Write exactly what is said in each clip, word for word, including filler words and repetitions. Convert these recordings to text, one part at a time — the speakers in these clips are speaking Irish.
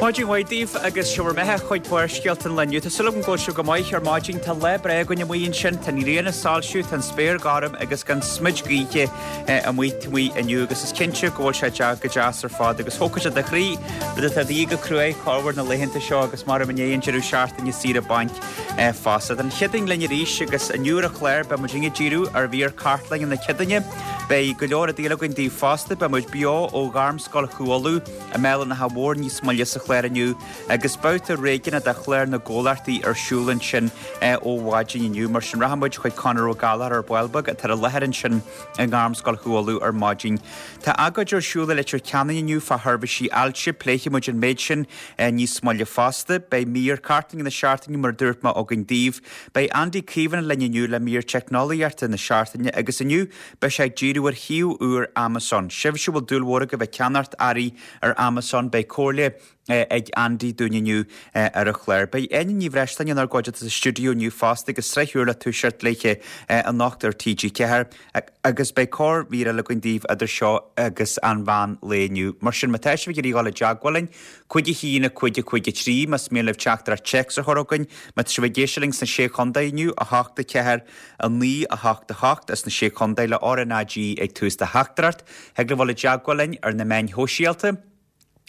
Maidin mhaith daoibh agus seo bhur mbeatha chuig Barrscéalta an lae inniu. Tá súil agam go bhfuil sibh go maith ar maidin tá lá breá againn amuigh ansin, tá an ghrian ag soilsiú, tá an spéir gorm agus gan smid gaoithe amuigh amuigh inniu agus is cinnte go bhfuil sé go deas ar fad agus thógfaidh sé do chroí rud atá de dhíth go cruaidh corruair na laethanta seo agus mar i ndiaidh an deireadh seachtaine saoire bainc fosta. Tá an Chéadaoin linn arís agus inniu ar an chlár beidh muid ag díriú ar mhír cartlainne na Céadaoine. Beidh go leor rudaí eile againn daoibh fosta, beidh muid beo ó Ghairmscoil Chú Uladh i mBéal an Átha Mhóir níos moille sa chlár inniu agus babhta réigiúnach de chlár na gcomhlachtaí ar siúl ansin ó mhaidin inniu. Mar sin rachaidh muid chuig Conor Ó Gallchóir ar ball beag atá i láthair ansin i nGairmscoil Chú Uladh ar maidin. Tá agóid ar siúl i Leitir Ceanainn inniu fá sheirbhísí ailse, pléifidh muid an méid sin níos moille fosta. Beidh mír cartlainne na seachtaine mar a dúirt mé againn daoibh. Beidh Andy Caomhánach linn inniu le mír teicneolaíochta na seachtaine agus inniu beidh sé ag díriú ar shuíomh úr Amazon. Sibhse a bhfuil dúil mhór agaibh ag ceannacht earraí ar Amazon beidh comhairle ag Andy dúinn inniu ar an chlár. Beidh Áine Ní Bhreisleáin inár gcuideachta sa stiúideo inniu fosta agus sraith úr le toiseacht léithe anocht ar TG Ceathair agus beidh corrmhír eile againn daoibh idir seo agus an mheán lae inniu. Mar sin má tá sibh ag iarraidh dul i dteagmháil linn, cúig a haon a cúig a cúig a trí, más mian libh teachtaireacht téacs a chur chugainn, má tá sibh ag éisteacht linn sna Sé Chontae inniu, a hocht a ceathair a naoi a hocht a hocht as na Sé Chontae le RNAG ag tús do theachtaireacht, thig libh dul i dteagmháil linn ar na meáin shóisialta.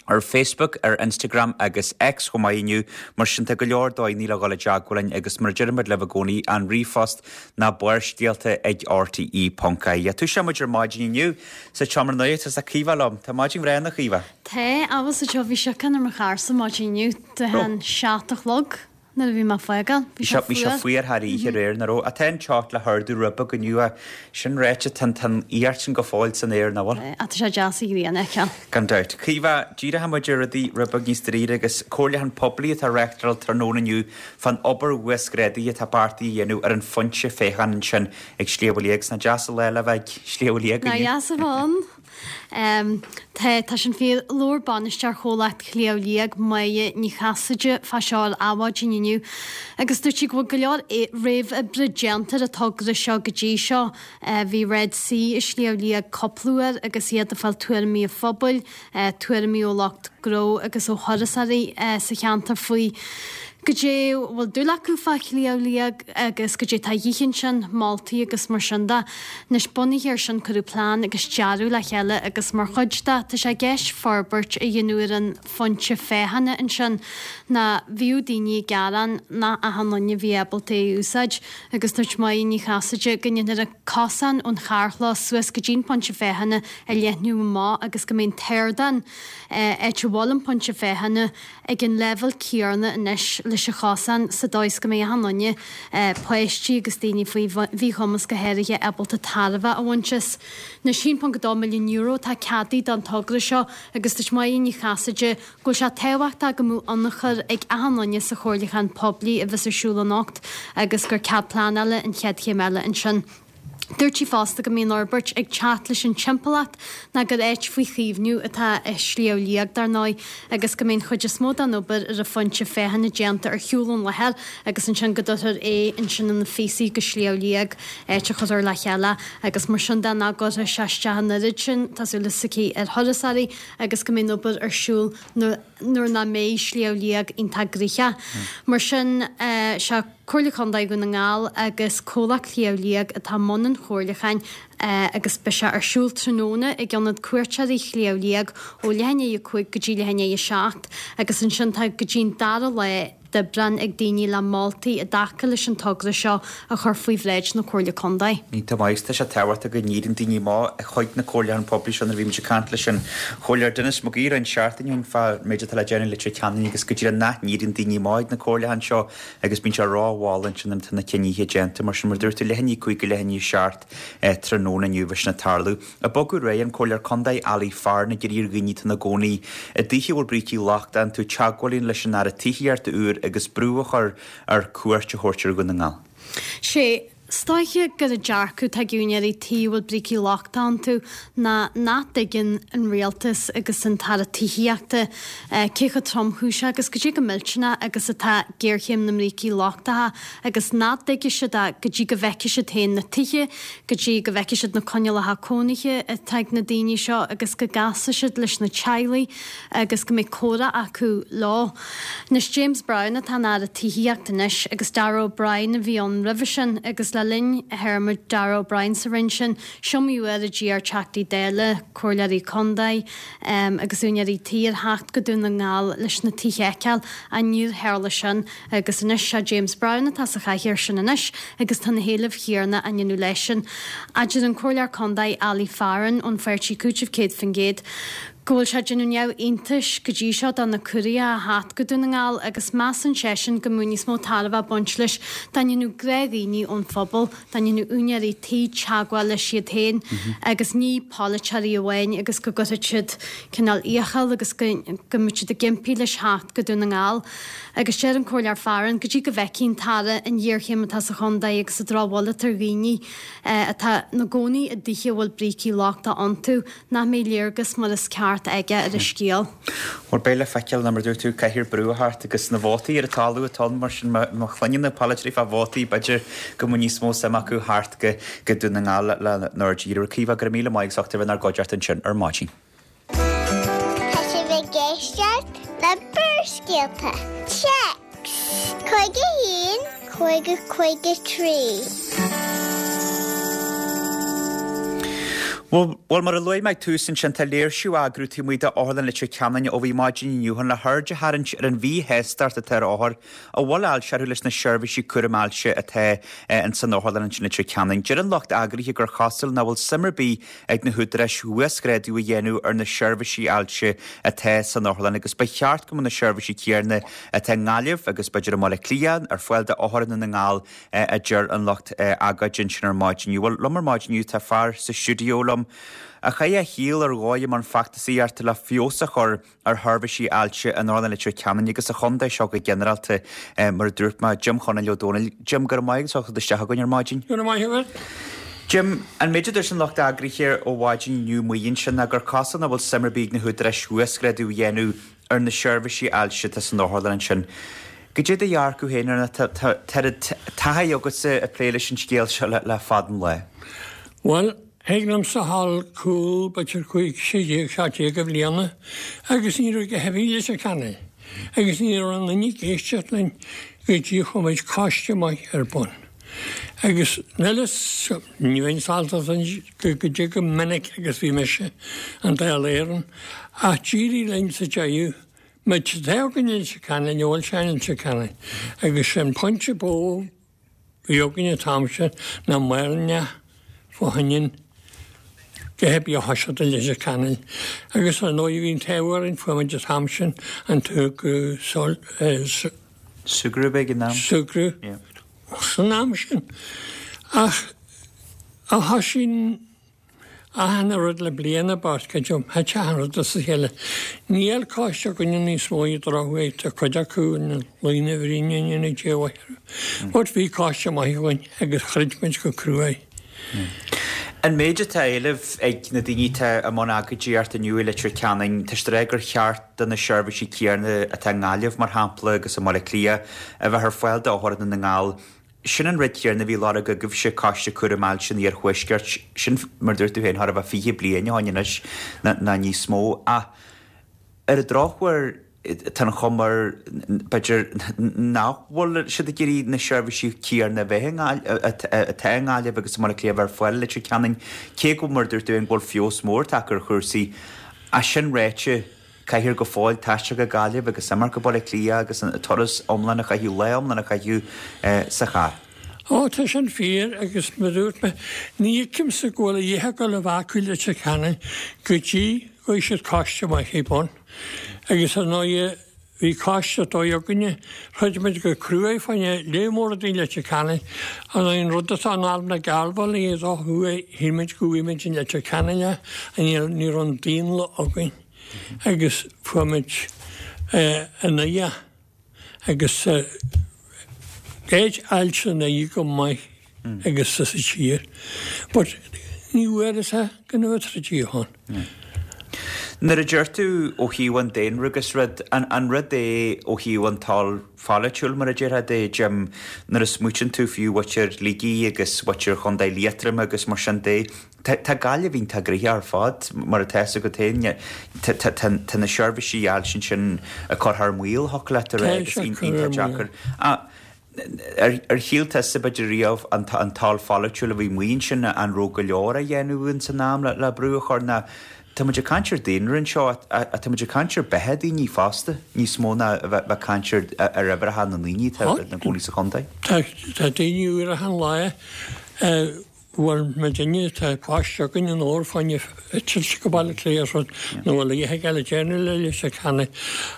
ar Facebook, ar Instagram agus X chomh maith inniu, mar sin tá go leor dóigheanna le dhul i dteagmháil linn agus mar a deirimid libh i gcónaí an ríomhphost ná barrscéalta ag rte ponc ie. Toiseoidh muid ar maidin inniu sa tseomra nuachta is Caoimhe liom. Tá maidin bhreá ann a Chaoimhe. Tá, abhus anseo bhí síocháin ar mo charr-sa maidin inniu, de an seacht a chlog. Nuair a bhí mé ag fágáil, bhí sé Bhí sé fuar. fuar thar oíche aréir, nach raibh? Ach tá an teocht le hardú rud beag inniu ach sin ráite, tá an fhuacht sin go fóill san aer, nach bhfuil? Ach tá sé deas an ghrian a fheiceáil. Gan dabht. Caoimhe, díreoidh muid ar rudaí rud beag níos dáiríre agus comhairliúchán poiblí atá á reáchtáil tráthnóna inniu fán obair uasghrádaithe atá beartaithe a dhéanamh ar an phointe féachana ansin ag Sliabh Liag. 'S nach deas an lá le bheith ag Sliabh Liag Nach inniu. deas a bheith ann. Tá, tá sin fíor. Labhair bainisteoir Chomhlacht Shliabh Liag, Máire Ní Chasaide, fá seo ar Adhmhaidin inniu agus dúirt sí go bhfuil go leor réamhoibre déanta ar an togra seo go dtí seo. Bhí Red C i Sliabh Liag cúpla uair agus iad ag fáil tuairimí an phobail, tuairimí ó lucht gnó agus ó thurasóirí sa cheantar faoi goidé a bhfuil dúil acu fá Shliabh Liag agus goidé tá a dhíth ansin, moltaí agus mar sin de. Anois, bunaithe ar sin cuireadh plean agus dearadh le chéile agus mar chuid de, tá sé i gceist forbairt a dhéanamh ar an phointe féachana ansin ná bhíodh daoine ag gearán nach achan duine a bhí ábalta é a úsáid agus dúirt Máire Ní Chasaide go ndéanfar an cosán ón charrchlós suas go dtí an pointe féachana a leathnú amach agus go mbeidh an t-ardán, áit a bhfuil an pointe féachana, ag an leibhéal céanna anois leis an chosán sa dóigh is go mbeidh achan duine, páistí agus daoine faoi mhíchumas go háirithe, ábalta tairbhe a bhaint as. Anois, a haon ponc dó milliún euro atá ceadaithe don togra seo agus dúirt Máire Ní Chasaide go bhfuil sé tábhachtach go mbeadh ionchur ag achan duine sa chomhairliúchán poiblí a bheas ar siúl anocht agus gur cead pleanála an chéad chéim eile ansin. Dúirt sí fosta go mbeidh an fhorbairt ag teacht leis an timpeallacht ná gur áit faoi chaomhnú atá i Sliabh Liag, dar ndóigh, agus go mbeidh an chuid is mó den obair ar an phointe féachana déanta ar shiúl ón láthair agus ansin go dtabharfar é ansin ina phíosaí go Sliabh Liag, áit a chuirfear le chéile agus mar sin de nach gcuirfidh sé isteach an oiread sin, tá súil s'aici, ar thurasóirí agus go mbeidh an obair ar siúl nuair nach mbeidh Sliabh Liag iontach gnoitheach. Mar sin, sé Comhairle Contae Dhún na nGall agus Comhlacht Shliabh Liag atá i mbun an chomhairliúcháin agus beidh sé ar siúl tráthnóna ag Ionad Cuairteoirí Shliabh Liag ó leath i ndiaidh a cúig go dtí leath i ndiaidh a seacht agus ansin tá go dtí an dara lá d'Aibreán ag daoine le moltaí i dtaca leis an togra seo a chur faoi bhráid na Comhairle Contae. Iontach maith. Tá sé tábhachtach go n-éiríonn daoine amach chuig na comhairliúcháin poiblí seo nuair a bhí muid ag caint leis an Chomhairleoir Denis Mac Aoidh roinnt seachtainí ó shin fán méid atá le déanamh i Leitir Ceanainn agus go díreach nach n-éiríonn daoine amach ag na comhairliúcháin seo agus bíonn sé rómhall ansin nuair atá na cinnithe déanta. Mar sin, mar a dúirt tú, leath i ndiaidh a cúig go leath i ndiaidh a seacht tráthnóna inniu bheidh sin ag tarlú. Ag bogadh ar aghaidh, an Comhairleoir Contae Ali Farren ag iarraidh ar dhaoine atá ina gcónaí i dtithe a bhfuil brící lochtacha iontu teagmháil a dhéanamh leis an Aire Tithíochta úr agus brú a chur air cuairt a thabhairt ar Dhún na nGall. Sé Is dóiche gur an dearcadh atá ag úinéirí tí a bhfuil brící lochtacha iontu ná nach dtuigeann an rialtas agus an tAire Tithíochta cé chomh tromchúiseach agus cad é chomh millteanach agus atá géarchéim na mbrící lochtacha agus nach dtuigfidh siad é go dtí go bhfeicfidh siad féin na tithe, go dtí go bhfeicfidh siad na coinníollacha cónaithe atá ag na daoine seo agus go gcasfaidh siad leis na teaghlaigh agus go mbeidh comhrá acu leo. Anois James Browne atá ina Aire Tithíochta anois agus Darragh O'Brien a bhí ann roimhe sin agus le linn théarma Darragh O'Brien sa Roinn sin, is iomaí uair a d'iarr Teachtaí Dála, Comhairleoirí Contae agus úinéirí tí ar theacht go Dún na nGall leis na tithe a fheiceáil ach níor tharla sin agus anois sé James Browne atá sa chathaoir sin anois agus tá na héilimh chéanna á ndéanamh leisean. A deir an Comhairleoir Contae Ali Farren ón pháirtí Cúiteamh céad faoin gcéad go bhfuil sé ag déanamh neamhiontais go dtí seo do na curaithe a theacht go Dún na nGall agus measann seisean go mbeadh níos mó tairbhe ag baint leis dá ndéanfadh gnáthdhaoine ón phobal, dá ndéanfadh úinéirí tí teagmháil leis iad féin agus ní polaiteoirí amháin agus go gcuirfeadh siad cineál iachall agus go mbeadh siad ag impí leis theacht go Dún na nGall. Agus deir an Comhairleoir Farren go dtí go bhfeicfidh an tAire an ghéarchéim atá sa chontae agus an drochbhail atá ar dhaoine atá ina gcónaí i dtithe a bhfuil brící lochtacha iontu, nach mbeidh léargas mar is ceart aige ar an scéal. Bhuel, beidh le feiceáil, mar a dúirt tú, caithfear brú a thabhairt agus na vótaí ar an talamh atá ann, mar sin má chluineann na polaiteoirí fá vótaí, b'fhéidir go mbeadh níos mó suim acu theacht go go Dún na nGall lenár dtír. Caoimhe, go raibh míle maith agat as ucht a bheith inár gcuideachta ansin ar maidin. Tá sibh ag éisteacht le Barrscéalta. Téacs cúig a haon, cúig a cúig a trí. Bhuel, mar a luaigh mé ag tús ansin, tá léirsiú á eagrú taobh amuigh d'Otharlann Leitir Ceanainn ó bhí maidin inniu chun le haird a tharraingt ar an mhíshástacht atá ar othair a bhfuil ailse orthu leis na seirbhísí cúraim ailse atá ins an otharlann ansin i Leitir Ceanainn. Deir an lucht eagraithe gur chosúil nach bhfuil suim ar bith ag na húdaráis uasghrádú a dhéanamh ar na seirbhísí ailse atá san otharlann agus ba cheart go mbeadh na seirbhísí céanna atá i nGaillimh agus b'fhéidir i mBaile Átha Cliath ar fáil d'othair i nDún na nGall a deir an lucht agóide ansin ar maidin inniu. Bhuel, liom ar maidin inniu tá fear sa stiúideo liom a chaith a shaol ar dhóigh i mbun feachtasaíochta le feabhas a chur ar sheirbhísí ailse in Otharlann Leitir Ceanainn agus sa chontae seo go ginearálta, mar a dúirt mé, Jim Chonaill Ó Dónaill. Jim, go raibh maith agat as ucht a theacht isteach chugainn ar maidin. Go raibh maith agat. Jim, an méid a dúirt an lucht eagraithe ó mhaidin inniu amuigh ansin ná gur cosúil nach bhfuil suim ar bith ag na húdaráis uasghrádú a dhéanamh ar na seirbhísí ailse atá san otharlann ansin. Goidé do dhearcadh féin ar na tá taithí agatsa ag plé leis an scéal seo le fada an lá. Bhuel, thig liomsa a ghabháil cúl b'fhéidir cúig, sé déag, seacht déag de bhliana agus ní raibh a dhath ar bith i Leitir Ceanainn agus ní raibh aon duine ag éisteacht linn go dtí chuir muid coiste maith ar bun. Agus níl fhios, ní bheinn sásta goidé chomh minic agus bhí mise i nDáil Éireann ach d'éirigh linn sa deireadh Muid tá againn i Leitir Ceanainn, bhfuil sé i Leitir Ceanainn, agus sé an pointe ba mhó a bhí againn an t-am sin ná maraon fá choinne a dhath ar bith a thoiseacht i Leitir Ceanainn. Agus ar ndóigh bhí an t-ádh orainn, fuair muid an t-am sin an t-ag Súgradh ag an am. Súgradh san am sin. Ach a thoisigh Achan rud le bliain about, creidim, thit achan rud as a chéile. Níl coiste againne níos mó ar an drochuair, tá cuid acu ina luí ina bhroinn i ndéanamh Dé a mhaith orthu. But bhí coiste maith againn agus throid muid go crua. An méid atá á éileamh ag na daoine atá i mbun agóidíochta inniu i Leitir Ceanainn, tá siad ag rá gur cheart do na seirbhísí céanna atá i nGaillimh, mar shampla, agus i mBaile Átha Cliath, a bheith ar fáil d'othair i Ndún na nGall. Sin an rud céanna a bhí á lorg agaibhse, Coiste Cúraim Ailse an Iarthuaiscirt, sin, mar a dúirt tú féin, chóir a bheith fiche bliain ó shin anois nó níos mó. Ach ar an drochuair, tá an chuma air, b'fhéidir, nach bhfuil siad ag iarraidh na seirbhísí céanna a bheith i nGaillimh, atá i nGaillimh agus i mBaile Átha Cliath a bheith ar fáil i Leitir Ceanainn, cé go, mar a dúirt tú féin, go bhfuil feabhas mór tagtha ar chúrsaí. Ach sin ráite, Caithfear go fóill taisteal go Gaillimh agus imeacht go Baile Átha Cliath agus an turas iomlán a chaitheamh, lá iomlán a chaitheamh sa charr. Ó, tá sin fíor agus mar a dúirt mé, ní fheicimse go bhfuil a dhath ag dul a bheith acu i Leitir Ceanainn go dtí go gcuirfidh siad coiste maith ar bun. Agus ar ndóighe, bhí coiste dóigh againne, throid muid go cruaidh fá choinne lear mór rudaí i Leitir Ceanainn. Ar ndóighe, an rud atá in Arm na Garbhailí a dó thuaidh, shíl muid go bhfuair muid i Leitir Ceanainn é, ní raibh an daonlath againn. agus fuair muid i nDoire agus áit ailse i nDoire go maith agus sa tír. But ní bhfuair é go na troid ann. Nuair a deir tú ó thaobh an daonra agus rud, an, an rud é ó thaobh an toil pholaitiúil mar a déarfá de, Jim, nuair a smaoitíonn tú fiú mhuintir Shligigh agus mhuintir Chontae Liatroim agus mar sin de, tá, tá Gaillimh iontach gnoitheach ar fad mar atá a fhios agat féin, tá, tá, tá, tá na seirbhísí ailse sin ag cur thar maoil thiocfadh leat a rá Tá agus sé iontach cur ar maoil. deacair. Ah, Ar, ar shíl tusa b'fhéidir riamh an, an toil pholaitiúil a bhí amuigh ansin an raibh go leor a dhéanamh in san am le, le brú a chur ná Tá muid ag caint ar daonra anseo tá muid ag caint ar beatha daoine fosta níos mó ná a bheith bheith caint ar ar uimhreacha na ndaoine atá ina gcónaí sa chontae. Tá tá daoine uair an lá bhfuil me duine tá páiste againn an ór fáinne eitilt go Baile Átha Cliath rud nó bhfuil le dhéthe eile déanamh le Leitir Ceanainn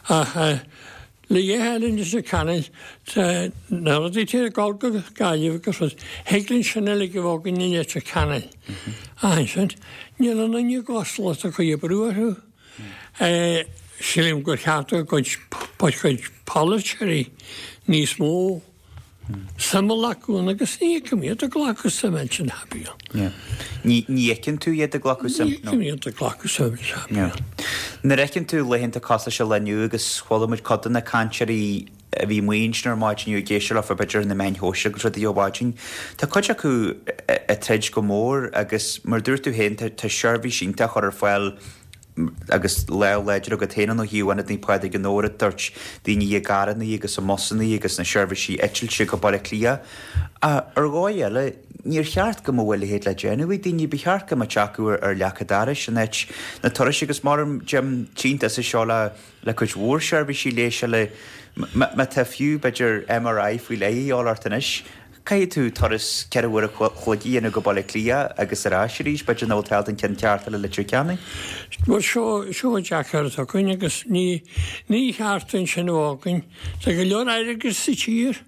ach le dhéthe eile Leitir Ceanainn na rudaí tí gáil go Gaillimh agus rud Thig linn sin uilig a bheith againn i Leitir Ceanainn. Ach sin níl an duine gosla a chuid brú orthu. Sílim gur cheart go gcuid chuid polaiteoirí níos mó suim a ghlacadh agus ní fheicim iad ag glacadh suim sin happy. Ní ní fheiceann tú iad ag glacadh suim? Ní fheicim iad ag glacadh suim sin happy. Nuair a fheiceann tú laethanta cosúil seo inniu agus chuala muid cuid de na cainteoirí a bhí amuigh ansin ar maidin inniu ag éisteacht leofa b'fhéidir na meáin shóisialta agus rudaí ó mhaidin. Tá cuid acu ag troid go mór agus mar dúirt tú féin tá seirbhís iontach chur ar fáil agus le láidir agat féin ó thaobh Ionad Naomh Pádraig in Óra dúirt daoine i gcarranna agus i mbusanna agus na seirbhísí eitilte go Baile Átha Cliath. Ar dhóigh eile, níor cheart go mbeadh a leithéid le déanamh ag daoine, ba cheart go mbeadh acu ar leac an dorais in áit na turais agus mar Jim tínta sa seo le le cuid mhór seirbhísí leighis eile má tá fiú b'fhéidir MRI faoi leith a dhíobháil ort anois. Caithfidh tú turas ceithre uair a chloig a dhéanamh go Baile Átha Cliath agus ar ais arís, b'fhéidir nach bhfuil tú an ceann ceart eile Leitir Ceanainn. Bhuel seo seo deacair atá againn agus ní ní cheart dúinn sin a bheith againn. Tá go leor airgead sa tír.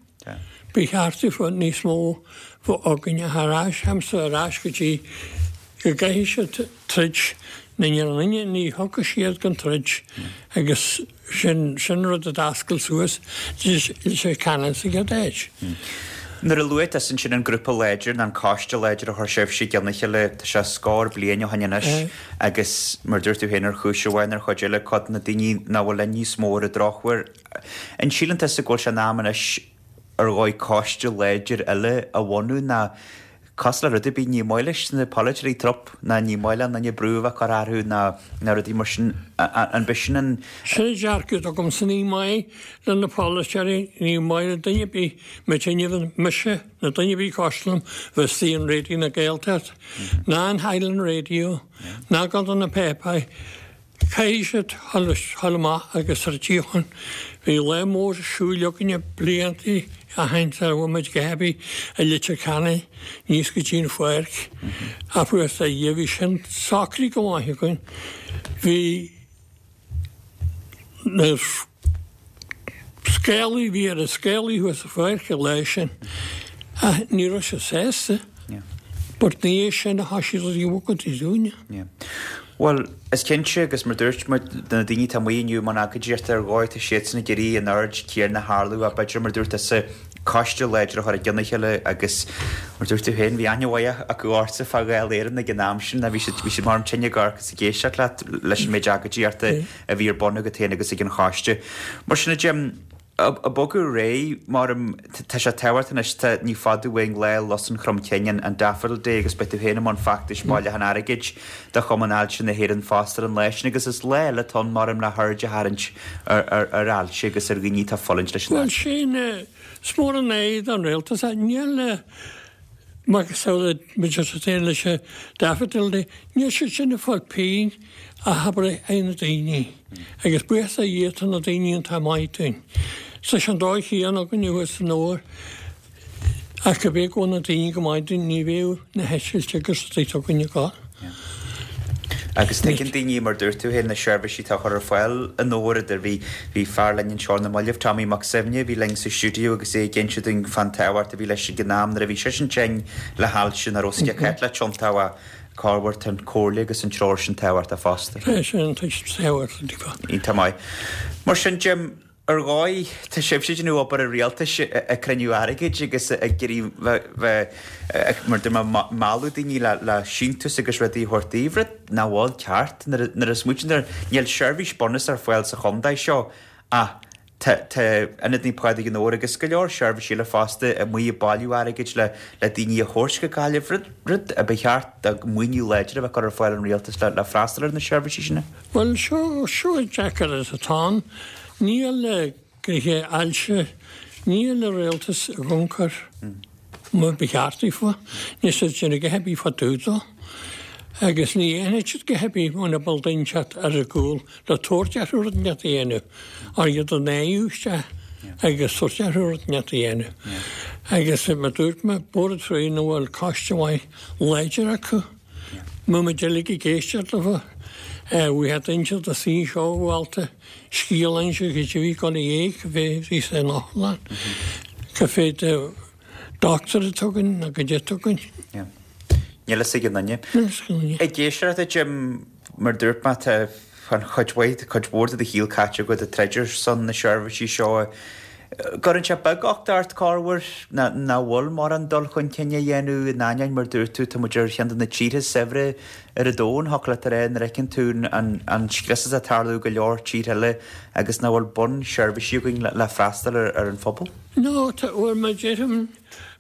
Ba cheart dúinn níos mó bheith againn ar ais, hamsa ar ais go dtí go gcaithfidh siad troid na ní ní thugfaidh siad gan troid agus sin sin rud a d'oscail suas Leitir Ceanainn sa gcéad áit. Nuair a luaigh tusa ansin an grúpa láidir nó an coiste láidir a chuir sibhse i gcionn a chéile, tá sé scór bliain ó shin anois agus mar dúirt tú féin ar chúis amháin ar chuid eile cuid de na daoine nach bhfuil linn níos mó ar an drochuair. An síleann tusa go bhfuil sé in am anois ar dhóigh coiste láidir eile a bhunú ná cosúil le rud ar bith ní maith leis na polaiteoirí trup ná ní maith le duine brú a bheith curtha orthu ná ná rudaí mar sin an b'shin an Sin dearcadh agamsa ní maith le na polaiteoirí ní maith le duine ar bith muidinne mise na duine ar bith cosúil liom bheith istigh in Raidió na Gaeltacht ná an Highland Radio ná go na páipéir Caithfidh siad dhul amach agus ar tíochán bhí lá mór siúil againne blianta a haint ar bhfuil muid go heibí i Leitir Ceanainn níos go dtí an pháirc a fuair a dhia bhí sin socraithe go maith againn bhí na scéalaí bhí ar an scéalaí thuas sa pháirc an lá sin ach ní raibh sé sásta. But ní é sin a thoisigh rudaí a bhogadh dúinne. Bhuel, is cinnte agus mar dúirt muid do na daoine atá amuigh inniu i mbun agóidíochta ar dhóigh tá siadsan ag iarraidh an aird chéanna a tharlú ach b'fhéidir mar dúirt tusa coiste láidir a chur i gcionn a chéile agus mar dúirt tú féin bhí aithne mhaith acu ortsa fá Dháil Éireann ag an am sin bhí siad bhí siad mar tinn ag amharc is ag éisteacht leat leis an méid agóidíochta a bhí ar bun agat féin agus ag an choiste. Mar sin a Jim, Ag bogadh ar aghaidh, mar tá sé tábhachtach anois, tá ní fada uainn lá Lus an Chrom Cinn, an Daffodil Day agus beidh tú féin i mbun feachtais bailiúchán airgid do Chumann Ailse na hÉireann fosta ar an lá sin agus is lá eile atá ann maram le haird a tharraingt ar ailse agus ar dhaoine atá ag fulaingt leis an ailse. Bhuel sin, is mór an aidhm don rialtas é. Níl macasamhail muid leis an Daffodil Day, níl siad sin ag fáil pingin a habair ag na daoine. Agus buíochas a Dhia tá na daoine iontach maith dúinn. Tá sé an dóigh chéanna againn thuas san Fhómhar ach go b'é go bhfuil na daoine go maith dúinn ní bheadh na heitiltí agus rudaí againn ag gabháil. Agus tuigeann daoine, mar dúirt tú féin, na seirbhísí atá á chur ar fáil in Óraid. Bhí bhí fear linn anseo ar na mallaibh, Tommy Mac Suibhne, a bhí linn sa stiúideo agus é ag inse dúinn fán tábhacht a bhí leis ag an am nuair a bhí seisean tinn le hailse nach raibh sciath le tiontú corruair tá an comhairle agus an treoir sin tábhachtach fosta. Tá sin tábhachtach. Iontach maith. Mar sin, Jim, Ar dhóigh, tá sibhse ag déanamh obair an rialtais ag cruinniú airgid agus ag iarraidh bheith, mar dúirt mé, mealladh daoine le síntiús agus rudaí a thabhairt daoibh, rud nach bhfuil ceart nuair a smaoitíonn tú air. Níl seirbhís bunúsach ar fáil sa chontae seo ach tá Ionad Naomh Pádraig i nDobhar agus go leor seirbhísí eile fosta amuigh ag bailiú airgid le daoine a thabhairt go Gaillimh, rud rud a ba cheart maoiniú láidir a bheith curtha ar fáil ón rialtas le freastal ar na seirbhísí sin. Bhuel, seo seo an deacair atá ann. Níl gnoithe ailse, níl an rialtas ag ioncur mar ba cheart daofa, níl siad ag déanamh a dhath ar bith fá dtaobh dó. Agus ní dhéanfaidh siad a dhath ar bith muna bhfuil duine inteacht ar a gcúl le tabhairt orthu rud inteacht a dhéanamh, or iad a náiriú isteach agus tabhairt orthu rud inteacht a dhéanamh. Agus mar dúirt mé, Bord Fraoigh nach bhfuil coiste maith láidir acu, mbeadh muid uilig ag éisteacht leofa. Bhí duine inteacht a suí anseo a Mhálta, scéal a inse go dtí bhí dul i éag, bhí sé in otharlann, go féidir Doctor atá againn nó goidé atá againn. Níl fhios ag aon duine. Níl fhios ag aon duine. Ag éisteacht a Jim, mar dúirt mé, tá an chuid mhaith, cuid mhór de do shaol caite agat ag troid ar son na seirbhísí seo. Cuireann sé beaguchtach ort corruair nach bhfuil mórán dul chun cinn á dhéanamh in ainneoin, mar dúirt tú, tá muid ar cheann de na tíortha is saibhre ar an domhan, thiocfadh leat a rá, nuair a fheiceann tú an scrios atá ag tarlú i go leor tíortha eile agus nach bhfuil bunseirbhísí againn le freastal ar an phobal. No, tá, bhuel, mar deirim,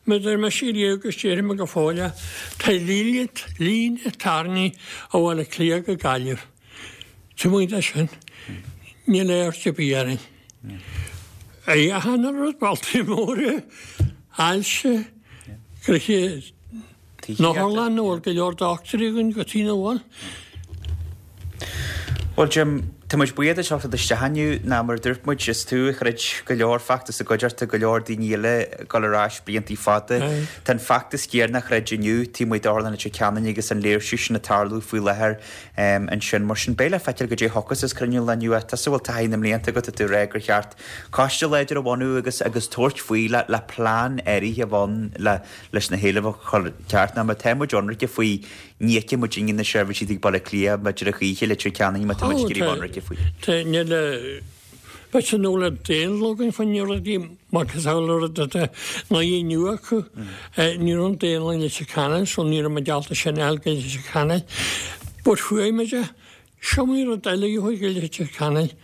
mar deir mise riamh agus déarfaidh mé go fóill é, tá líne, líne tarraingthe ó Bhaile Átha Cliath go Gaillimh. Taobh amuigh de sin, níl aird ar bith orainn. Achan rud, bailte móra, ailse, gnoithe, an otharlann, nach bhfuil go leor dochtúirí againn go dtí nach bhfuil. Bhuel Jim, tá muid buíoch duit as teacht isteach inniu, ná mar a dúirt muid, is tú a throid go leor feachtas i gcuideachta go leor daoine eile ag dul ar ais bliantaí fada. Tá an feachtas céanna á throid inniu taobh amuigh d'Otharlann Leitir Ceanainn agus an léirsiú sin ag tarlú faoi láthair ansin. Mar sin, beidh le feiceáil goidé a thiocfas as cruinniú an lae inniu. Tusa a bhfuil taithí na mblianta agat, tá tú ag rá gur cheart coiste láidir a bhunú agus agus tabhairt faoi le le plean áirithe a bheith ann le leis na héilimh a chur ceart. Ná má tá muid ionraice faoi Ní fheiceann muidinne na seirbhísí ag Baile Átha Cliath b'fhéidir a choíche Leitir Ceanainn má tá muid ag iarraidh bheith ionraice faoi. Tá, níl, b'fhéidir nach bhfuil daonlathas againn faoin rudaí macasamhail rud atá ná inniu acu. Ní raibh an daonlathas i Leitir Ceanainn so ní raibh muid ábalta sin a fháil go Leitir Ceanainn. But fuair muid é. Is iomaí rud eile a chuaigh go Leitir Ceanainn.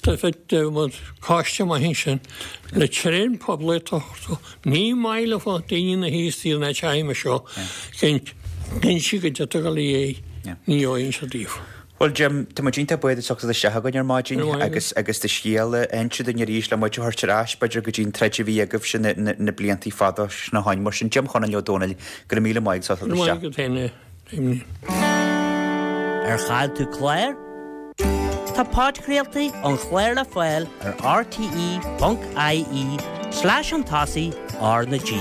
Tá bheadh coiste maith ansin le tréan poiblí a thabhairt dó. Ní maith leo daoine na thíos taobh na teidhme seo cinnte go dtiocfadh le é ní fhaigheann siad daofa. Bhuel Jim, tá muid iontach buíoch as teacht isteach chugainn ar maidin agus agus do scéal a inse dúinn arís le muid a thabhairt ar ais b'fhéidir go dtí an troid a bhí agaibhse na na bliantaí fada sin ó shoin. Mar sin Jim Chonaill Ó Dónaill, go raibh míle maith agat as teacht Go raibh maith isteach. agat féin a Damien. Ar chaill tú clár? Tá podchraoltaí an chláir le fáil ar rte ponc ie slash chun tosaigh R na G.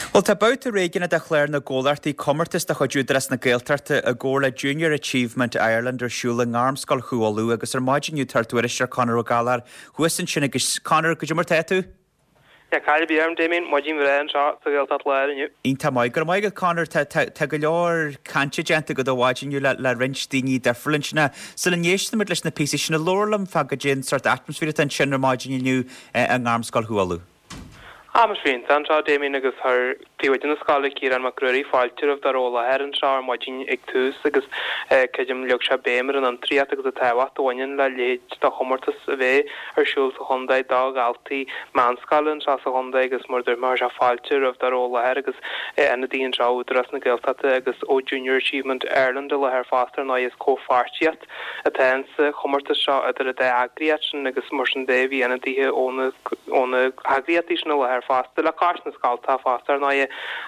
Bhuel, tá babhta réigiúnach de chlár na gcomhlachtaí comórtas de chuid Údarás na Gaeltachta i gcomhar le Junior Achievement Ireland ar siúl i nGairmscoil Chú Uladh agus ar maidin inniu tá ár dtuairisceoir Conor Ó Gallchóir thuas ansin agus Conor, goidé mar tá tú? Níl caill ar bith orm, Damien, maidin bhreá anseo sa Ghaeltacht Láir inniu. Iontach maith. Go raibh maith agat, Conor. Tá, tá, tá go leor cainte déanta agat ar maidin inniu le, le roinnt daoine difriúla ansin. Sula n-éistfimid leis na píosaí sin, labhair liom fá goidé an sórt atmaisféar atá ansin ar maidin inniu i nGairmscoil Chú Uladh. Atmaisféar iontach anseo, Damien, agus chuir Príomhoide na scoile, Ciarán Mac Ruairí, fáilte roimh dá raibh i láthair anseo ar maidin ag tús agus creidim leag sé béim ar an fhiontraíocht agus an tábhacht a bhaineann le leithéid de chomórtas a bheith ar siúl sa chontae do dhaltaí meánscoile anseo sa chontae agus mar a dúirt mé chuir sé fáilte roimh dá raibh i láthair agus ionadaithe anseo ó Údarás na Gaeltachta agus ó Junior Achievement Ireland i láthair fosta ar ndóigh is comhpháirtíocht atá insa chomórtas seo idir an dá eagraíocht sin agus mar sin de bhí ionadaithe ó na ó na heagraíochtaí sin i láthair fosta le cois na scoltacha fosta ar ndóigh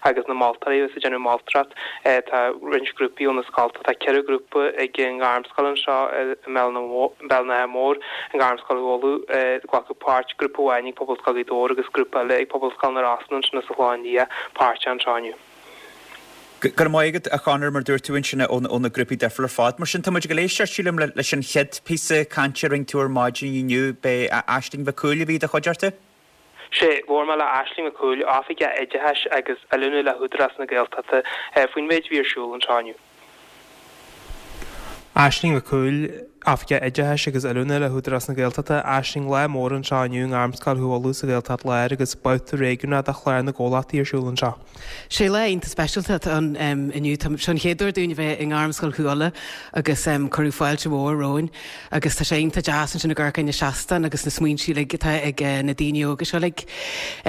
agus na moltóirí agus ag déanamh moltóireacht. Tá roinnt grúpaí ó na scoltacha, tá ceithre ghrúpa ag an nGairmscoil anseo i mBéal an Átha Móir, an Ghairmscoil Chú Uladh, ag glacadh páirt, grúpa amháin ag Pobalscoil Ghaoth Dobhair agus grúpa eile ag Pobalscoil na Rosann ansin sa Chlochán Liath páirteach anseo inniu. Go raibh maith agat, a Chonor, mar dúirt tú ansin ó na grúpaí difriúla ar fad. Mar sin, tá muid ag dul éisteacht, sílim, leis an chéad phíosa cainte a rinne tú ar maidin inniu. B'é Aisling Mhic Cumhaill a bhí i do chuideachta? Sea, labhair mé le Aisling Mhic Cumhaill, Oifigeach Oideachais agus Oiliúna le hÚdarás na Gaeltachta, faoin mhéid a bhí ar siúl anseo inniu. Aisling Mhic Cumhaill, Oifigeach Oideachais agus Oiliúna le hÚdarás na Gaeltachta, Aisling, lá mór anseo inniu i nGairmscoil Chú Uladh sa Ghaeltacht Láir agus babhta réigiúnach de Chlár na gComhlachtaí ar siúl anseo. Sé lá iontach speisialta atá ann inniu. Tá seo an chéad uair dúinn a bheith i nGairmscoil Chú Uladh agus cuireadh fáilte mhór romhainn agus tá sé iontach deas ansin ag amharc ar na seastáin agus na smaointe uilig atá ag na daoine óga seo uilig.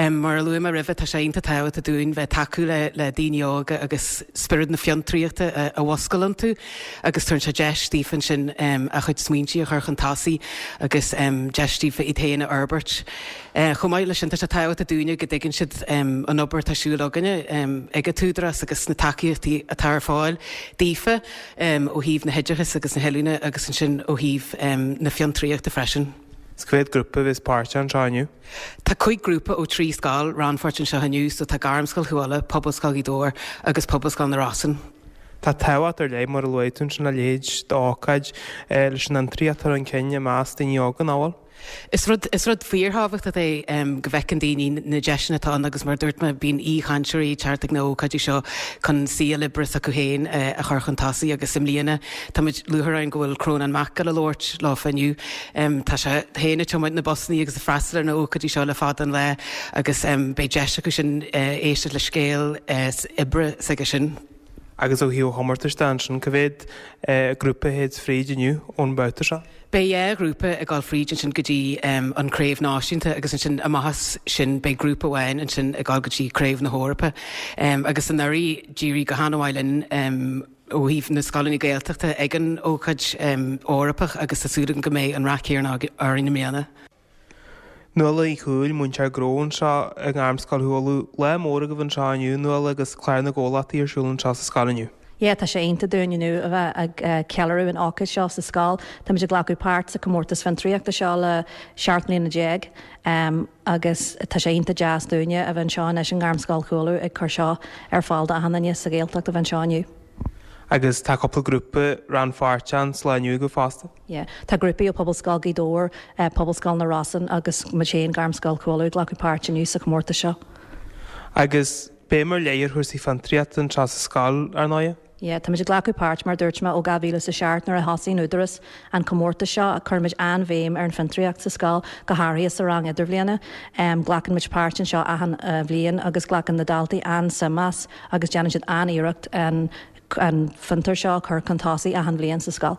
Mar a luaigh mé roimhe tá sé iontach tábhachtach dúinn bheith tacú le le daoine óga agus spiorad na fiontraíochta a mhúscailt iontu agus tugann sé deis daofa ansin a chuid smaointe a chur chun tosaigh agus deis daofa iad féin a fhorbairt. Chomh maith leis sin, tá sé tábhachtach dúinne go dtuigeann siad an obair atá ar siúl againne ag an tÚdarás agus na tacaíochtaí atá ar fáil daofa ó thaobh na hoideachais agus na hoiliúna agus ansin ó thaobh na fiontraíochta freisin. Is cá mhéad grúpa a bheas páirteach anseo inniu? Tá cúig grúpa ó trí scoil rannpháirteach anseo inniu, so tá Gairmscoil Chú Uladh, Pobalscoil Ghaoth Dobhair agus Pobalscoil na Rosann. Tá tábhacht ar leith, mar a luaigh tú ansin, le leithéid d'ócáid leis an fhiontraíocht a chur chun cinn i measc daoine óga, nach bhfuil? Is rud, is rud fíorthábhachtach é go bhfeiceann daoine na deiseanna atá ann agus mar a dúirt mé, bíonn aoichainteoirí ag teacht ag na hócáidí seo chun saol oibre s'acu féin a chur chun tosaigh agus i mbliana táimid lúcháir orainn go bhfuil Crónán Mac ag labhairt leofa inniu. Tá sé féin ag tiomáint na busanna agus ag freastal ar na hócáidí seo le fada an lá agus beidh deis acu sin éisteacht le scéal oibre s'aige sin. Agus ó thaobh an chomórtais de ansin, cá mhéad grúpa a théid fríd inniu ón mbabhta seo? Beidh dhá ghrúpa ag dul fríd ansin go dtí an Craobh Náisiúnta agus ansin amach as sin beidh grúpa amháin ansin ag dul go dtí Craobh na hEorpa. Agus anuraidh d'éirigh go han-mhaith linn ó thaobh na scoileanna Gaeltachta ag an ócáid Eorpach agus tá súil agam go mbeidh an rath céanna orainn i mbliana. Nuala Uí Chúil, múinteoir gnó anseo i nGairmscoil Chú Uladh. Lá mór agaibh anseo inniu, Nuala, agus Clár na gComhlachtaí ar siúl anseo sa scoil inniu. Yeah, tá sé iontach dúinn inniu a bheith ag ceiliúradh an ócáid seo sa scoil. Táimid ag glacadh páirt sa comórtas fiontraíochta seo le seacht mbliana déag agus tá sé iontach deas dúinne a bheith anseo anois i nGairmscoil Chú Uladh ag cur seo ar fáil d'achan duine sa Ghaeltacht a bheith anseo inniu. Agus tá cúpla grúpa rannpháirteach sa lá inniu agaibh fosta. Yeah. Tá grúpaí ó Pobalscoil Ghaoth Dobhair, Pobalscoil na Rosann agus muid féin, Gairmscoil Chú Uladh, ag glacadh páirt inniu sa chomórtas seo. Agus béim ar leith ar chúrsaí fiontraíochta anseo sa scoil, ar ndóighe? Yeah, táimid ag glacadh páirt, mar a dúirt mé, ó dhá mhíle is a seacht nuair a thosaigh an Údarás an comórtas seo. Cuirimid an-bhéim ar an bhfiontraíocht sa scoil, go háirithe sa rang idirbhliana. Glacann muid páirt anseo achan bhliain agus glacann na daltaí an-suim as agus déanann siad an-iarracht an an fiontar seo a chur chun tosaigh achan bhliain sa scoil.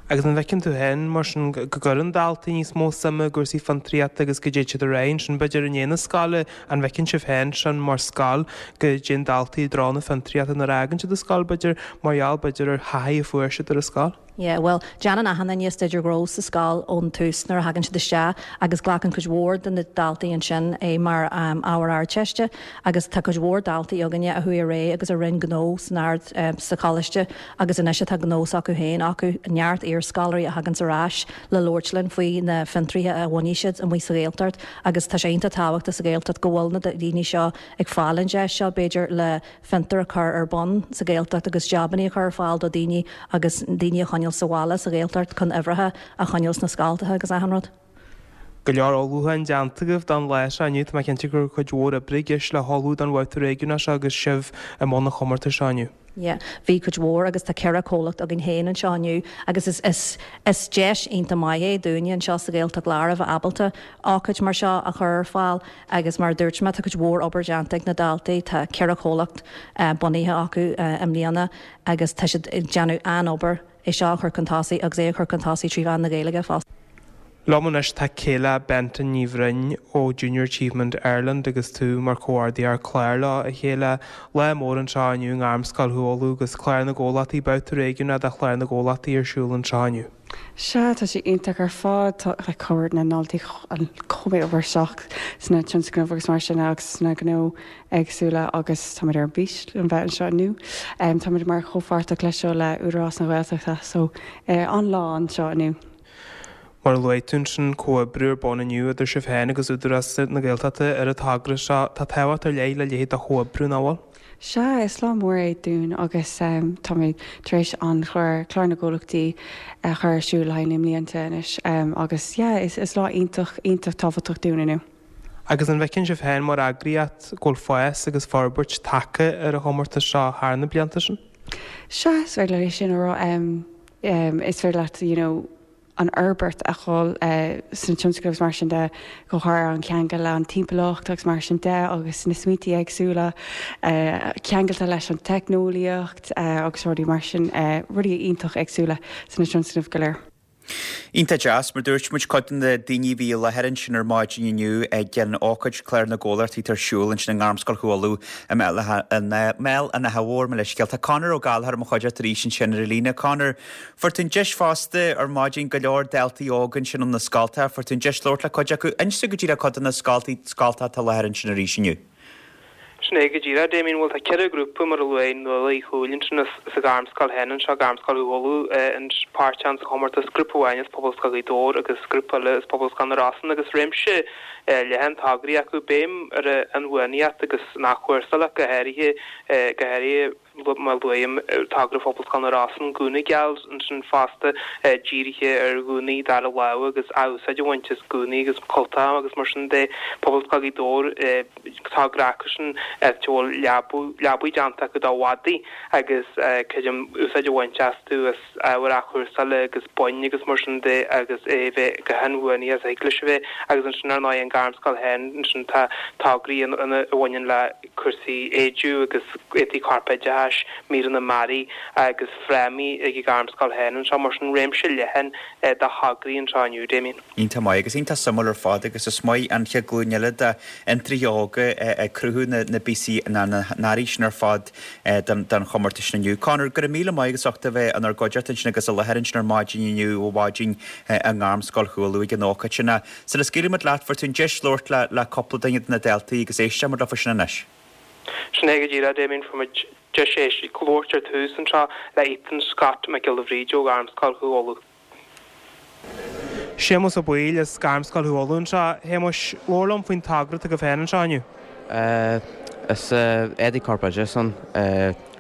Agus an bhfeiceann tú féin, mar sin, go gcuireann daltaí níos mó suime i gcúrsaí fiontraíochta agus go dtéid siad ar aghaidh ansin, b'fhéidir, i ndiaidh na scoile, an bhfeiceann sibh féin sin mar scoil, go dtéann daltaí i dtreo na fiontraíochta nuair a fhágann siad an scoil, b'fhéidir, mar gheall, b'fhéidir, ar thaithí a fuair siad ar an scoil? Yeah, bhuel, déanann achan duine staidéar gnó sa scoil ón tús nuair a thagann siad isteach agus glacann cuid mhór de na daltaí ansin é mar ábhar Ardteiste agus tá cuid mhór daltaí againne a chuaigh ar aghaidh agus a rinne gnó san Ard, sa choláiste agus anois atá gnó s'acu féin acu, neart iarscoláirí a thaganns ar ais le labhairt linn faoi na fiontraithe a bhunaigh siad amuigh sa Ghaeltacht agus tá sé iontach tábhachtach sa Ghaeltacht go bhfuil na daoine seo ag fáil an deis seo b'fhéidir le fiontar a chur ar bun sa Ghaeltacht agus jabannaí a chur ar fáil do daoine agus daoine a choinneáil sa bhaile sa Ghaeltacht chun uimhreacha a choinneáil sna scoltacha agus achan rud. Go leor ullmhúcháin déanta agaibh don lá seo inniu. Tá mé cinnte go raibh cuid mhór oibre i gceist le hullmhú don bhabhta réigiúnach seo agus sibh i mbun an chomórtais seo inniu. Yeah, bhí cuid mhór agus tá ceithre chomhlacht againn féin anseo inniu agus is, is, is deis iontach maith é dúinne anseo sa Ghaeltacht Láir a bheith ábalta ócáid mar seo a chur ar fáil agus mar a dúirt mé tá cuid mhór obair déanta ag na daltaí, tá ceithre chomhlacht bunaithe acu i mbliana agus tá siad ag déanamh an-obair é seo a chur chun tosaigh agus é a chur chun tosaigh trí mheán na Gaeilge fosta. Liom anois tá Kayla Benton Ní Bhroin ó Junior Achievement Ireland agus tú mar chomhordaitheoir cláir leo, a Kayla. Lá mór anseo inniu i nGairmscoil Chú Uladh agus Clár na gComhlachtaí, babhta réigiúnach de Chlár na gComhlachtaí ar siúl anseo inniu. Sea, tá sé iontach ar fad. Tá like chuir na ndaltaí chomh maith obair isteach sna tionscnaimh agus mar sin agus sna gnó éagsúla agus táimid ar bís le bheith anseo inniu. Táimid mar chomhpháirteach leis seo le Údarás na Gaeltachta so an-lá anseo inniu. Mar a luaigh tú ansin, comhoibriú ar bun inniu idir sibh féin agus Údarás na Gaeltachta ar an togra seo. Tá tábhacht ar leith le leithéid de chomhoibriú, nach bhfuil? Sea, is lá mór é dúinn agus táimid tar éis an chlár, Clár na gComhlachtaí, a chur ar siúl le haghaidh na mblianta anois agus yeah, is lá iontach, iontach tábhachtach dúinn inniu. Agus an bhfeiceann sibh féin mar eagraíocht go bhfuil fás agus forbairt tagtha ar an chomórtas seo thar na blianta sin? Sea, is féidir leat é sin a rá. Is féidir leat, you know, an fhorbairt a dhul sna tionscnaimh agus mar sin de, go háirithe an ceangal le an timpeallacht agus mar sin de agus na smaointe éagsúla ceangailte leis an teicneolaíocht agus rudaí mar sin, rudaí iontach éagsúla sna tionscnaimh go léir. Iontach deas, mar dúirt muid, cuid de na daoine a bhí i láthair ansin ar maidin inniu ag an ócáid Clár na gComhlachtaí atá ar siúl ansin i nGairmscoil Chú Uladh i mBéal an Átha Mhóir, mo leithscéal. Tá Conor Ó Gallchóir i mo chuideachta arís ansin ar an líne. Conor, fuair tú an deis fosta ar maidin go leor daltaí óga ansin ó na scoltacha, fuair tú an deis labhairt le cuid acu. Inis dúinn go díreach cuid de na scoltaí, scoltacha atá i láthair ansin arís inniu. Sin é go díreach, Damien. Bhuel, tá ceithre ghrúpa, mar a luaigh Nuala Uí Chúil ansin, as an Ghairmscoil féin anseo, Gairmscoil Chú Uladh, páirteach sa chomórtas, grúpa amháin as Pobalscoil Ghaoth Dobhair agus grúpa eile as Pobalscoil na Rosann agus réimse leathan tograí acu, béim ar an inbhuanaitheacht agus an athchúrsáil ach go háirithe, go háirithe. Mar a luaim, togra Phobalscoil na Rosann, Gúna Geal ansin fosta, dírithe ar ghúnaí dara lámha agus athúsáid a bhaint as gúnaí agus cultacha agus mar sin de. Pobalscoil Ghaoth Dobhair, togra acusan áit a bhfuil leabaí déanta acu do mhadaí agus creidim úsáid a bhaint astu as ábhar athchúrsála agus boinn agus mar sin de agus é a bheith chomh hinbhuanaithe is a thig leis a bheith. Agus ansin ar ndóigh an Ghairmscoil féin, ansin tá tograí a bhaineann le cúrsaí éide agus éadaí corpoideachais, míreanna mearaí agus frámaí ag an Ghairmscoil féin anseo, mar sin réimse leathan de thograí anseo inniu, Damien. Iontach maith agus iontach suimiúil ar fad agus is maith an chéad ghlúin eile d'fhiontraithe óga ag cruthú na bpíosaí na n-earraí sin ar fad don chomórtas sin inniu. Conor, go raibh míle maith agat as ucht a bheith inár gcuideachta ansin agus i láthair ansin ar maidin inniu ó mhaidin i nGairmscoil Chú Uladh ag an ócáid sin. Sula scaoilfidh muid leat, fuair tú an deis labhairt le cúpla duine de na daltaí agus éistfidh muid leofa sin anois. Sin é go díreach, Damien, fuair muid deis éisteacht, labhairt ar tús anseo le Ethan Scott Mac Giolla Bhríde ó Ghairmscoil Chú Uladh. Séamus Ó Baoill as Gairmscoil Chú Uladh anseo. A Shéamuis, labhair liom faoin togra atá agaibh féin anseo inniu. Is éadaí corpoideachais ann,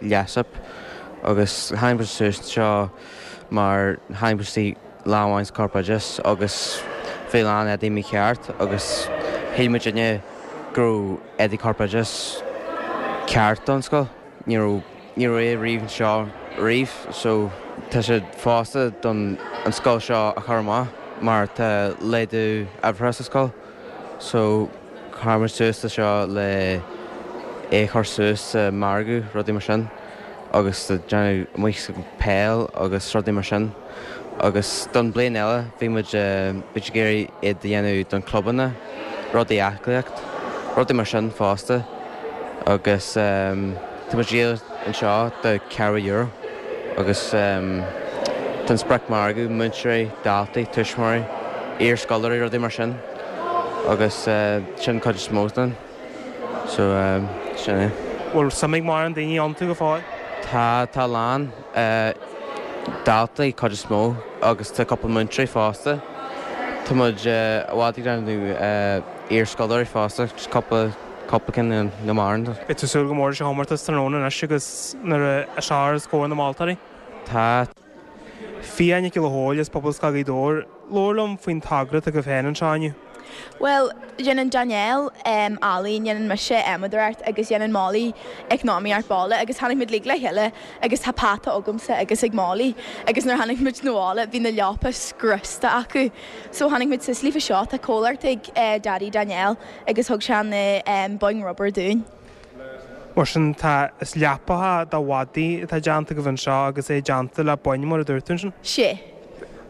Leasip, agus tháinig muid suas anseo mar tháinig muid istigh lá amháin sa corpoideachas agus bhí a lán éadaí mícheart agus shíl muidinne go raibh éadaí corpoideachais ceart don scoil. Ní raibh ní raibh é riamh anseo riamh so tá sé fosta don an scoil seo a chur amach mar tá laghdú uimhreacha sa scoil so chuir muid suas le seo le é a chur suas sa margadh rudaí mar sin. agus déanamh amuigh sa peil agus rudaí mar sin agus don bliain eile bhí muid bhí ag iarraidh iad a dhéanamh don clubanna, rudaí aclaíocht, rudaí mar sin fosta agus tá muid díol anseo do ceathrú euro agus tá an spriocmhargadh, múinteoirí, daltaí, tuismitheoirí, iarscoláirí, rudaí mar sin agus sin cuid is mó den. So, sin é. Bhfuil suim ag mórán daoine iontu go fóill? Tá, tá a lán. Daltaí, cuid is mó, agus tá cúpla múinteoirí fosta. Tá muid i bhfad ag déanamh iarscoláirí fosta, just cúpla, cúpla cinn na mórán. Beidh tú ag súil go mór leis an chomórtas tráthnóna anois agus nuair a seo os comhair na moltóirí? Tá. Fia Nic Giolla Chóill as Pobalscoil Ghaoth Dobhair, labhair liom faoin togra atá agaibh féin anseo inniu. Bhuel, déanann Danielle ealaín, déanann mise adhmadóireacht agus déanann Molly eacnamaíocht baile agus tháinig muid uilig le chéile agus tá peata agamsa agus ag Molly agus nuair tháinig muid 'na bhaile bhí na leapa scriosta acu. So tháinig muid suas leofa seo, tá comhlacht ag Daddy Danielle agus thug sé na boinn rubair dúinn. Mar sin, tá, is leapacha do mhadaí atá déanta agaibh anseo agus é déanta le boinn mar a dúirt tú ansin? Sea.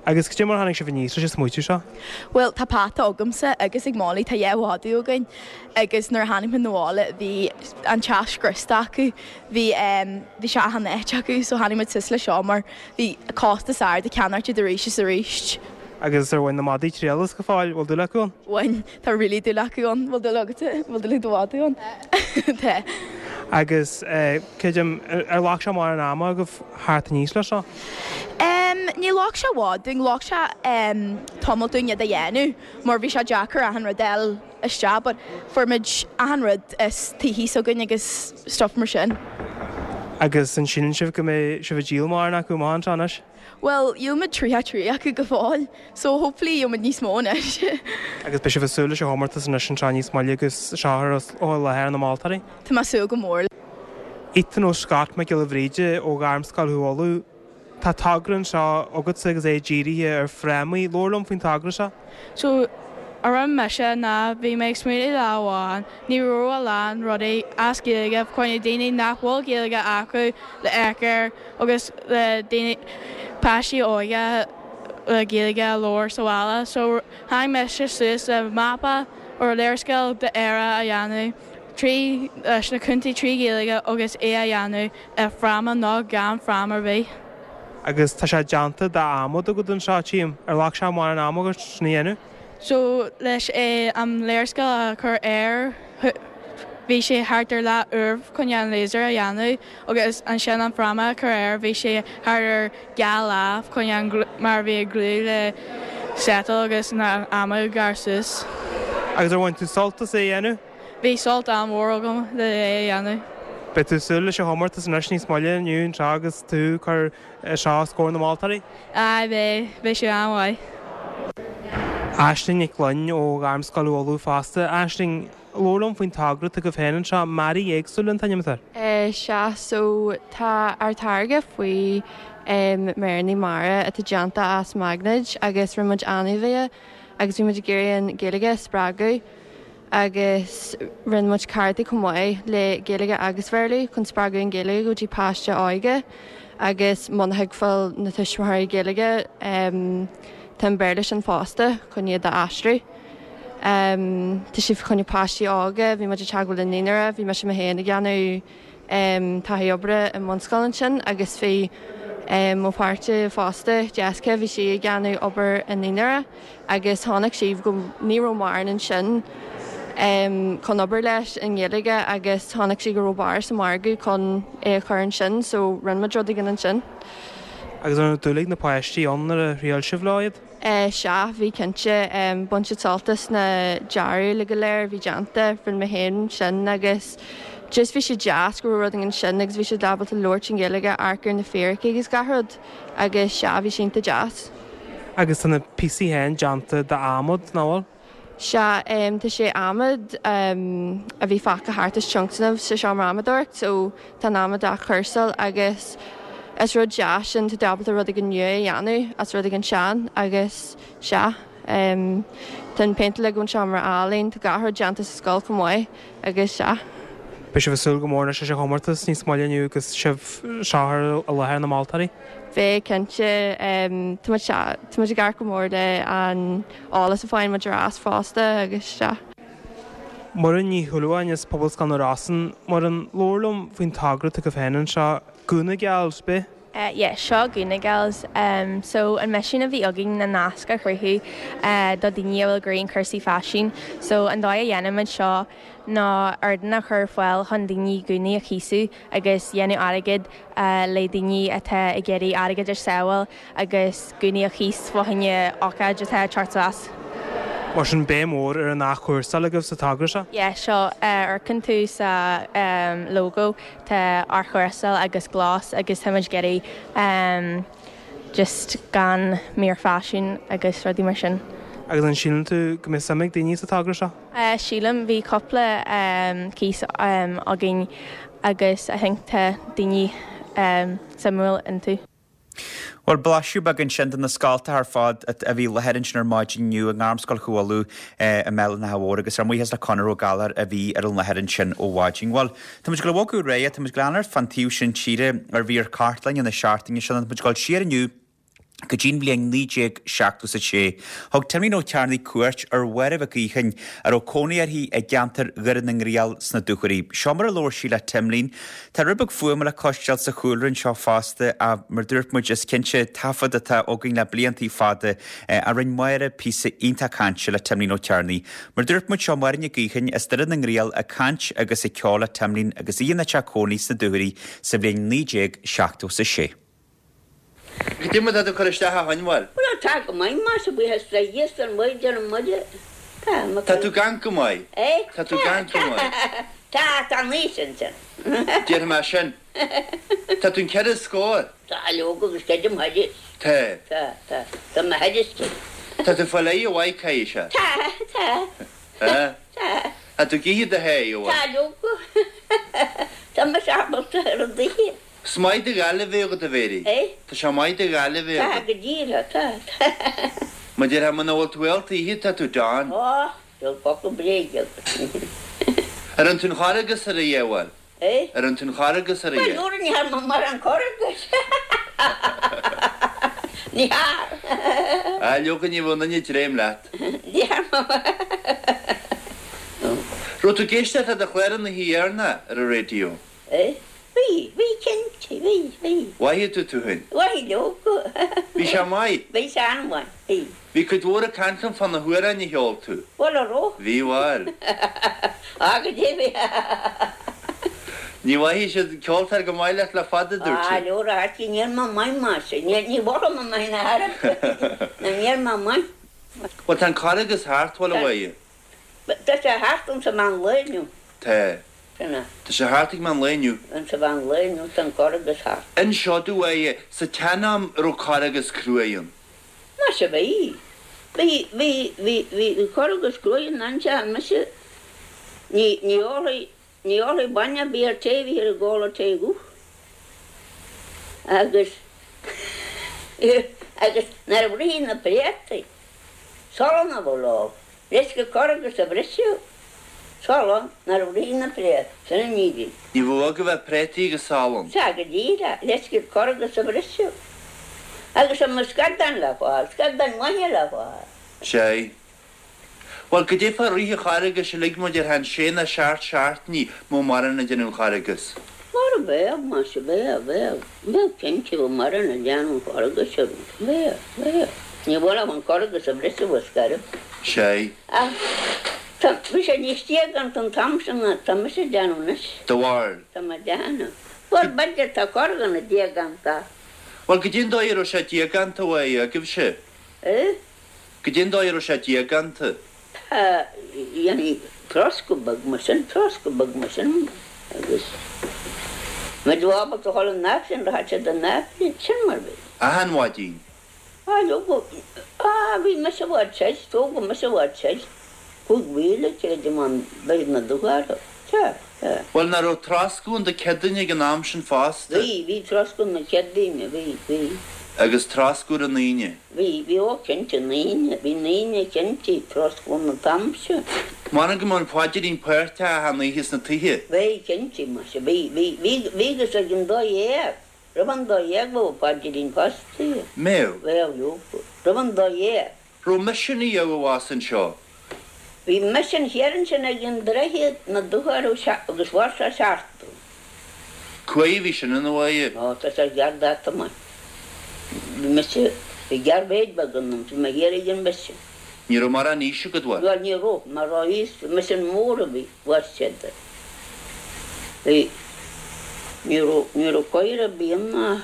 Agus cad é mar a tháinig sibh aníos leis an smaoitiú seo? Bhuel, tá peata agamsa agus ag Molly, tá dhá mhadadh againn agus nuair a tháinig muid 'na bhaile bhí an teach scriosta acu, bhí em bhí sé achan áit acu so tháinig muid suas le seo mar bhí costas ard ag ceannacht iad arís is arís. Agus ar bhain na madaí triail as go fóill? Bhfuil dúil acu ann? Bhain. Tá really dúil acu ann. Bhfuil dúil agatsa? Bhfuil dúil ag do mhadadh ann? Tá. Agus creidim, ar ghlac sé mórán ama agaibh theacht aníos leis seo? Em, ní ghlac sé i bhfad dúinn. Ghlac sé em tamall dúinn iad a dhéanamh mar bhí sé deacair achan rud a fháil isteach but fuair muid achan rud as tithe s'againn agus stuff mar sin. Agus an síleann sibh go mbeidh sibh ag díol mórán acu amach anseo anois? Bhuel, dhíol muid tríocha trí acu go fóill, so hopefully gheobhaidh muid níos mó anois. Agus beidh sibh ag súil leis an chomórtas anois anseo níos moille agus seo a chur os láthair na moltóirí? Tá mé ag súil go mór. Ethan Ó Scott Mac Giolla Bhríde ó Ghairmscoil Chú Uladh, Tá togra anseo agatsa agus é dírithe ar frámaí. Labhair liom faoin togra seo. So, a rinne mise ná bhí mé ag smaoineamh lá amháin, ní raibh a lán rudaí as Gaeilge fá choinne daoine nach bhfuil Gaeilge acu le amharc air agus le daoine, páistí óga le Gaeilge a labhairt sa bhaile. So tháinig mise suas le mapa or léarscáil d'Éire a dhéanamh trí leis na contaetha trí Ghaeilge agus é a dhéanamh i fráma nó gan fráma ar bith. Agus tá sé déanta d'adhmad agat anseo, tchím. Ar ghlac sé mórán ama agat sin a dhéanamh? So leis é an léarscáil a chur air bhí sé thart ar leath uair chun an laser a dhéanamh agus ansin an fráma a chur air bhí sé thart ar dhá lá chun an mar bhí glue le settle agus na ama gar suas. Agus ar bhain tú sult as é a dhéanamh? Bhí sult an-mhór agam le é a dhéanamh. Beidh tú ag súil leis an chomórtas anois níos moille inniu anseo agus tú ag cur seo os comhair na moltóirí? Aye beidh, beidh sé an-mhaith. Aisling Nic Fhloinn ó Ghairmscoil Uladh fosta. Aisling, labhair liom faoin togra atá agaibh féin anseo, Mearaí Éagsúla an t-ainm atá air. Sea, so tá ár táirge faoi méireanna mara atá déanta as maighnéid agus rinne muid ainmhithe agus bhí muid ag iarraidh an Ghaeilge a spreagadh agus rinne muid cártaí chomh maith le Gaeilge agus Bhéarla chun spreagadh an Ghaeilge go dtí páiste óige agus muna thuigfeadh na tuismitheoirí Gaeilge tá an Béarla sin fosta chun iad a aistriú. Tá sé fá choinne páistí óga, bhí muid ag teagmháil le naíonra, bhí mise mé féin ag déanamh taithí oibre i mbunscoil ansin agus bhí mo pháirtí fosta, Jessica, bhí sí ag déanamh obair i naíonra agus chonaic sí go ní raibh mórán ansin chun obair leis i nGaeilge agus chonaic sí go raibh barr sa margadh chun é a chur ansin so rinne muid rud éigin ansin. Agus an raibh dúil ag na páistí ann nuair a thriail sibh leo iad? Sea, bhí cinnte. Bhain siad sult as na dearaí uilig go léir a bhí déanta. Rinne mé féin sin agus just bhí sé deas go raibh rud éigin ansin agus bhí siad ábalta labhairt i nGaeilge, amharc ar na fíricí agus gach rud agus sea, bhí sé iontach deas. Agus tá na píosaí féin déanta d'adhmad, nach bhfuil? Sea, tá sé adhmad a bhí fágtha thart as tionscnamh sa seomra adhmadóireacht so tá an adhmad á chúrsáil agus is rud deas sin, tá tú ábalta rud éigin nua a dhéanamh as rud éigin sean agus sea, tá an péint uilig ón seomra ealaíon, tá gach rud déanta sa scoil chomh maith agus sea. Beidh sibh ag súil go mór anois leis an chomórtas níos moille inniu agus sibh seo i láthair na moltóirí? Beidh, cinnte. Tá muid, tá muid ag amharc go mór le an eolas a faigheann muid ar ais fosta agus sea. Muireann Ní Shúilleabháin as Pobalscoil na Rosann. Muireann, labhair liom faoin togra atá agaibh féin anseo, Gúna Gals, b'ea? Yeah, seo Gúna Gals. So an misiún a bhí againn ná nasc a chruthú do daoine a bhfuil ag iarraidh cúrsaí faisin. So an dóigh a dhéanaimid seo ná ardán a chur ar fáil chun daoine gúnaí a chíosú agus dhéanamh airgead le daoine atá ag iarraidh airgead a shábháil agus gúnaí a chíos fá choinne ócáid atá ag teacht suas. Mar sin béim mhór ar an athchúrsáil agaibh sa togra seo? Yeah, seo, amharcann tú sa logo, tá athchúrsáil agus glas agus táimid ag iarraidh just gan mír faisin agus rudaí mar sin. Agus an síleann tú go mbeidh suim ag daoine sa togra seo? Sílim, bhí cúpla cíos againn agus I think tá daoine suimiúil iontu. Bhuel, blaiseadh beag ansin de na scoltacha ar fad a bhí i láthair ansin ar maidin inniu i nGairmscoil Chú Uladh i mBéal an Átha Mhóir agus ár mbuíochas le Conor Ó Gallchóir a bhí ar an láthair ansin ó mhaidin. Bhuel, tá muid ag dul a bhogadh ar aghaidh, tá muid ag dul a fhanacht fán taobh sin tíre ar mhír cartlainne na seachtaine seo, tá muid ag dul siar inniu go dtí'n bhliain naoi déag seachtó is a sé. Thug Timlín Ó Cearnaigh cuairt ar Mháire Mhic Aodhagáin a raibh cónaí uirthi i gceantar Dhoire na nGriall sna Dúchoraidh. Seo mar a labhair sí le Timlín. Tá rud beag fuaime le cloisteáil sa chúlra anseo fosta ach mar dúirt muid is cinnte taifead atá againn le bliantaí fada a rinne Máire píosa iontach cainte le Timlín Ó Cearnaigh. Mar dúirt muid seo Máire Nic Aodhagáin as Doire na nGriall ag caint agus ag ceol le Timlín agus í ina teach cónaí sna Dúchoraidh sa bhliain naoi déag seachtó is a sé. Cad é mar atá tú ag cur isteach a Fhionnghail? Bhuel, tá go maith, más ea, buíochas le Dia is don Mhuire, don Mhuire. Tá, mo Tá tú gann go maith. Eh? Tá tú gann go maith. Tá, tá an aois ansin. Déarfaidh mé sin. Tá tú an ceithre scór. Tá, leoga, agus creidim thairis. Tá. Tá, tá. Tá mé thairis cinn. Tá tú fáil aghaidh mhaith, caithfidh sé. Tá, tá. Tá? Tá. Tá tú ag ithe do sháith, a bhfuil? Tá, leoga. Tá mise ábalta ar an dtuithe. Is maith do Ghaillimh a bheith agat, a Mhéirí. Eh? Tá sé maith do Ghaillimh a bheith Tá, agat. go díreach, tá, tá. Mar déarfá muna bhfuil tú ábalta ithe, tá tú done. Ó, tá focal bréige agat. Ar fhan tú in Charghas ar a dheabhail? Eh? Ar fhan tú in Charghas ar a Bhuel, dheabhail? nuair a ní thar mo mar an Charghas. Ní thar. Á, leoga ní bheadh aon duine ag dréim leat. Ní thar mo. Raibh tú ag éisteacht le do chlár an oíche dheireanach ar an raidió? Eh? Bhí, bhí cinnte, bhí, bhí. Mhaithfidh tú tú féin. Mhaithfidh leoga. Bhí sé maith. Bhí sé an-mhaith, bhí. Bhí cuid mhór ag caint liom fá na hamhráin a cheol tú. Bhuel, an raibh? Bhí, bhuel. Á, go deimhin. Ní mhaithfidh siad ceoltóir go maith leat le fada, dúirt Á, siad. leor a thaití, níl mé maith mar sin. Ní, ní mhothaigh mé maith na haire. Níl mé maith. Bhuel, tá an Carghas thart, bhuel, a Mháire. Tá sé thart insa mheán lae inniu. Tá. Sin é. Tá sé thart ag meán lae inniu. Insa mheán lae inniu tá an Carghas thart. Inis domh, a Mháire, sa tsean-am raibh Carghas cruaidh ann. Maise bhí. Bhí, bhí, bhí, bhí, bhí Carghas cruaidh ann anseo, mise, ní, ní ólfaidh, ní ólfaidh bainne ar bith ar tae a bhí ar an gcóla tae dhubh. Agus, agus nuair a bhrisfidh na préataí, salann a bheadh leo, leis go Carghas a bhriseadh, salann nuair a bhrisfidh na préataí, sin an fhírinne. Ní bheadh go bheith préataí agus salann. Sea, go díreach, leis go Carghas a bhriseadh. Agus an mbeadh scadán le fáil, scadán maithe le fáil. Sea. Bhuel, goidé fá rith an Charghais uilig mar déarfá an sé nó seacht seachtainí mó maireann ag déanamh an Charghais. Mar a bheadh, más ea, bheadh, bheadh, bheadh cinnte go maireann ag déanamh an Charghais orm. Bheadh, bheadh. Ní bhfuil ach an Carghas a bhriseadh a scaradh. Sea. Ach tá, bhí sé níos déaganta an t-am sin ná tá mise ag déanamh anois. Do bharúil? Tá mé ag déanamh. Bhuel, b'fhéidir tá corrdhuine déaganta. Bhuel, goidé an dóigh a raibh sé déaganta uaidh agaibhse? Eh? Goidé an dóigh a raibh sé déaganta? Tá, dhéanfaí troscadh beag mar sin, troscadh beag mar sin agus muid ábalta a dhul an Aifreann, rachadh siad an Aifreann, sin mar bhí. Achan mhaidin. Á, leoga, á, bhí mise i bhfad soir, tógadh mise i bhfad soir, cúig mhíle, creidim, ón Doire na Dúchoradh. Sea, sea. Bhuel, nach raibh troscadh ann do Chéadaoine ag an am sin fosta? Bhí, bhí troscadh na Céadaoine, bhí, bhí. Agus troscadh ar an Aoine? Bhí, bhí, ó cinnte, an Aoine, bhí an Aoine cinnte, troscadh an t-am sin. M'anam go mbeadh an paidrín páirteach achan oíche sna tithe? Bhí, cinnte, muise, bhí, bhí, bhí, bhí agus ag an dó dhéag, roimh an dó dhéag bheadh paidrín fosta. Mbeadh? Bheadh, leoga, roimh an dó dhéag. Raibh misean a dheabhaidh as anseo? Bhí misean thiar ansin ag an droichead na Dúchoradh agus mhair sé seachtain. Cá fhaid a bhí sin ina bhaile? Ó, tá sé gearr dáta maith. Bhí mise, bhí gearrmhéid beag ionam, bhí mé thiar ag an misean. Ní raibh mórán aois agat, bhuel? Bhuel, ní raibh, mar raibh aois, misean mór a bhí, mhair siad. Bhí, ní raibh, ní raibh coir ar bith ann ná,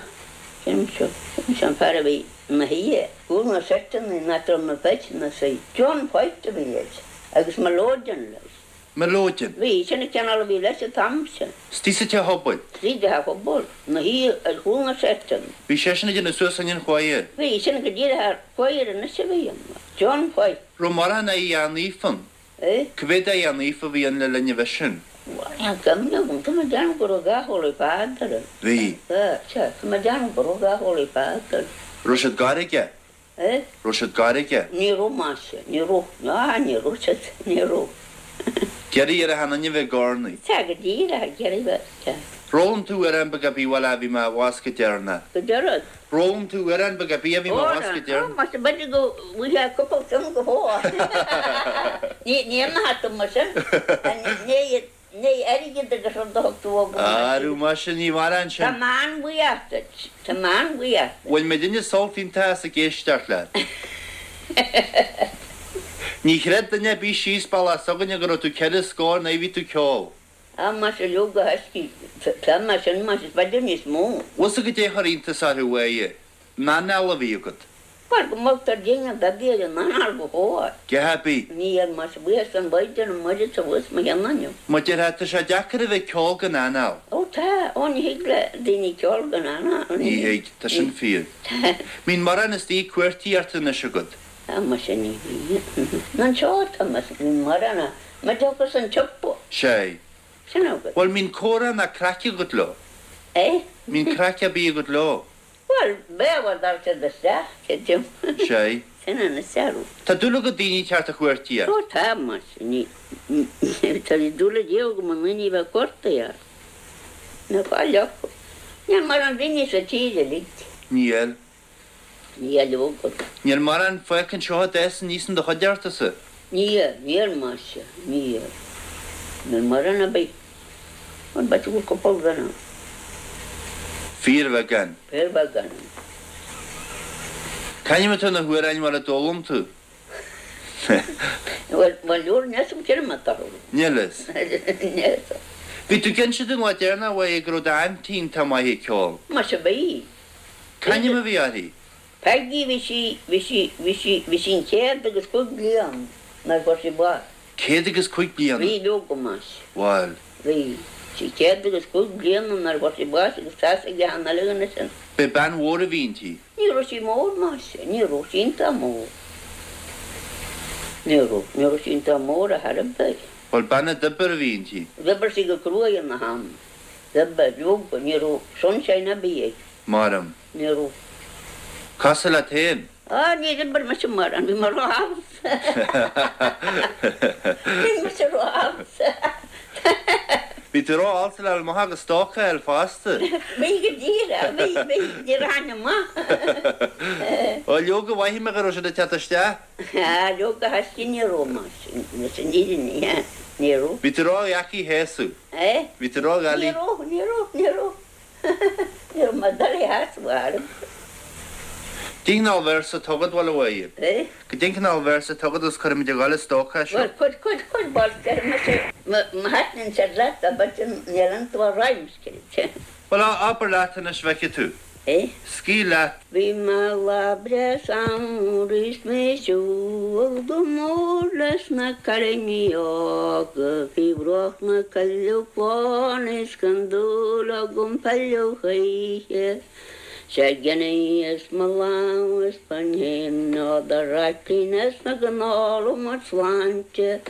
sin seo, sin seo an fear a bhí ina shuí, cúl na seiteanna, nach raibh na feiteanna suí. John White a bhí air. Agus Melodeon leis. Melodeon? Bhí, sin an cineál a bhí leis an t-am sin. Istigh sa teach pobail? Istigh i dteach pobail. Ina shuí ar chúl na seiteanna. Bhí seisean ag déanamh suas an choir? Bhí, sin go díreach ar choir anois a bhí ann. John White. Raibh mórán oidhre naofa ann? Eh? Cá mhéad oidhre naofa a bhí ann le linn an mhisin? Bhuel, níl cuimhne agam. Tá mé ag déanamh go raibh dhá Holy Father ann. Bhí. Sea, sea, tá mé ag déanamh go raibh dhá Holy Father ann. Raibh siad gar aige? Eh? Raibh siad gar aige? Ní raibh, maise, ní raibh. Á, ní raibh siad, ní raibh. D'iarraidh ar achan duine bheith ag urnaí. Sea, go díreach, ag iarraidh bheith, sea. Ar fhoghlaim tú amhrán beag ar bith, bhuel, a bhí mé abhus go deireanach. Go deireadh. Ar fhoghlaim tú amhrán beag ar bith a bhí mé abhus go deireanach. Ó, maise, b'fhéidir go bhfuil sé cúpla ceann go fóill. Ní, ní imeoidh tú mar sin. Ní, Ní airgead agus rud a thug tú agam. Arú, maise, ní mhaireann sin. Tá mé an-bhuíoch duit. Tá mé an-bhuíoch duit. Bhain muidinne sult iontach as ag éisteacht leat. Ní chreid duine ar bith síos bealach s'againne go raibh tú ceithre scór nuair a bhí tú ag ceol. Á, maise, leoga, thaiscí, tá mé sin, maise, is b'fhéidir níos mó. Bhfuil 's agat goidé a chuir iontas orthu, a Mháire? An anáil a bhí agat. Mar go moltar dínn an beag ar an anáil go fóill. Go bith. Ní ar más buíochas don Mhaighdean Muire sa bhus mo cheann inniu. Mar déarfá, tá sé deacair a bheith ag ceol gan anáil. Ó tá, ó ní thig le daoine ceol gan anáil. Ní thig, tá sin fíor. Mbíonn mórán istigh ag cuartaíocht anois agat. Tá muise ní bhíonn. Anseo tá muise, bhí mórán a, ma dtiocfas an tsiopa. Sea. Sin agat. Bhuel, mbíonn comhrá ná craic agat leo? Eh? Mbíonn craic ar bith agat leo? Bhuel, b'ea, bhuel, dá raibh siad isteach, creidim. Sea. Sin an searú. Tá dúil agat daoine ceart a chuartaíocht? Ó tá, mar sin, ní, tá dúil ag Dia agam i ndaoine a bheith cuartaithe. Ná fáil acu. Níl mórán daoine sa tír uilig. Níl. Níl agat. Níl mórán fágtha anseo a d'fhás aníos in do chuideachtasa? Níl, níl maise, níl. Níl mórán ar bith. Bhuel, b'fhéidir go bhfuil cúpla duine ann. Fíorbheagán. Fíorbheagán. C'ainm atá ar na hamhráin mar a d'fhoghlaim tú? Bhuel, bhuel, leor, níl 'fhios a'm cén ainm atá orthu. Níl 'fhios. Níl 'fhios a'm. Bhí tú ag inse dúinn lá deireanach uaidh go raibh d'aintín iontach maith ag ceol. Maise bhí. C'ainm a bhí uirthi? Peigí, bhí sí, bhí sí, bhí sí, bhí sí an céad agus cúig bliain nuair a fuair sí bás. Céad agus cúig bliana? Bhí, leoga, maise. Bhuel. Bhí sí céad agus cúig bliana nuair a fuair sí bás agus tá's ag achan uile dhuine sin. B'é bean mhór a bhí inti. Ní raibh sí mór, maise, ní raibh sí iontach mór. Ní raibh, ní raibh sí iontach mór ar chor ar bith. Bhuel, bean a d'oibir a bhí inti. D'oibir sí go cruaidh ina ham. D'oibir, leoga, ní raibh sunshine ar bith aici. Maram. Ní raibh. Cosúil leat féin? Á, níor oibir mise mórán, bhí mé ró-fhalsa. Bhí mise ró-fhalsa. Bhí tú ró-fhalsa le amach agus stoc a fháil fosta. Bhí go díreach, bhí, bhí, ní raibh ainm maith. Ó, leoga, mhaígh mé go raibh siad ag teacht isteach. Á, leoga, thaisce ní raibh mar sin, leis an fhírinne, ní raibh. Bhí tú ró-dheacair a shásamh. Eh? Bhí tú ró-dhoiligh. Ní raibh, ní raibh, ní raibh. Ní raibh mé doiligh a shásamh orm. Cén cineál véarsa atá agat, bhuel, a Mháire? Eh? Cén cineál véarsa atá agat agus cuirfimid ag dul an stoc é seo. Bhuel, cuir, cuir, cuir, bhuel, deir mise, má thaitníonn siad leat, abair, níl iontu ach rhymes, Bhuel, abair leat anois, bhfeicfidh tú. Eh? Scaoil leat. Bhí mé lá breá samhraidh is mé ag siúl go mór leis na cailíní óga faoi bhruach na coilleadh bán is gan dúil agam pilleadh choíche. Sé ghníos mo lámh is ba n'fheadar raicín is na gnála mo shláinte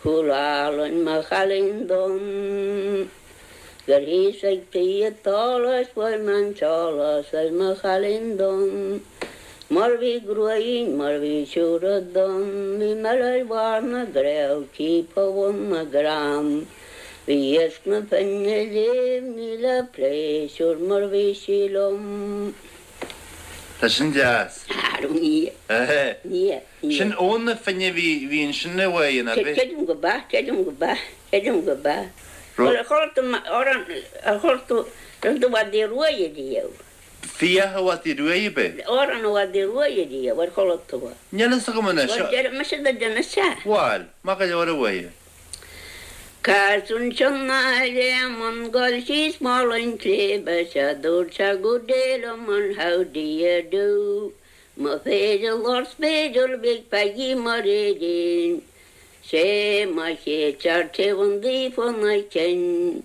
cúl álainn mo chailín donn. Gur thíos ag tí an tsolais fuair mé an t-eolas ar mo chailín donn. Mar bhí gruaigín mar bhí siúcra donn bhí meil ar bharr na gcraobh ciaptha bhun na gcrann. Bhí iasc na Finne léimní le pléisiúr mar bhí sí liom. Tá sin deas. Ní. Ní. Sin Abhainn na Finne a bhí bhí ansin i bhfad, ab ea? Creidim go b'ea, creidim go b'ea, creidim go b'ea. Ar chuala tú amhrán, ar chuala tú rud a Mhadaidh Ruaidh riamh? Fiach a Mhadaidh Ruaidh ab ea? Amhrán a Mhadaidh Ruaidh riamh, ar chuala tú é? Níl fhios agam anois. Bhuel, déarfaidh mise duit anois é. Bhuel, maith go leor a Mháire. Cas ansin a Réamonn gabh síos mull an tsléibhe sea dúirt sé good day liom and how do you do. Mo pheidal or spéideal bhí Peigí mar éidín. Sé mo chéad tear taobh an daofa na cinn.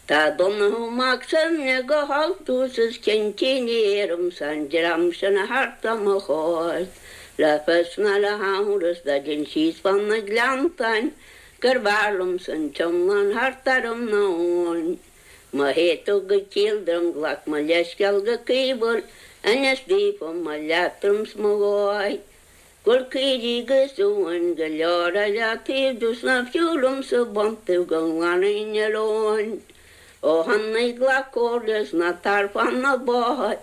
Tá Donnchadh Mac Suibhne go haltús is cinnte ní éirim san dream sin a thart am mo chomhair le fios ná le hamhras dá dtéinn síos fan na gleanntáin gur bhfearr liomsa an t-iomlán thart orm ná Eoin. Má théid tú go Cill Droim glac mo leithscéal go caoithiúil inis daofa mo leatrom 's mo dhóigh go bhfuil caoirigh agus uain go leor ar leataobh domh 's nach fiú liomsa baint go nglanfainn ar Eoin. Ó Chonnaidh glac comhairle 's ná tar fan na bóthair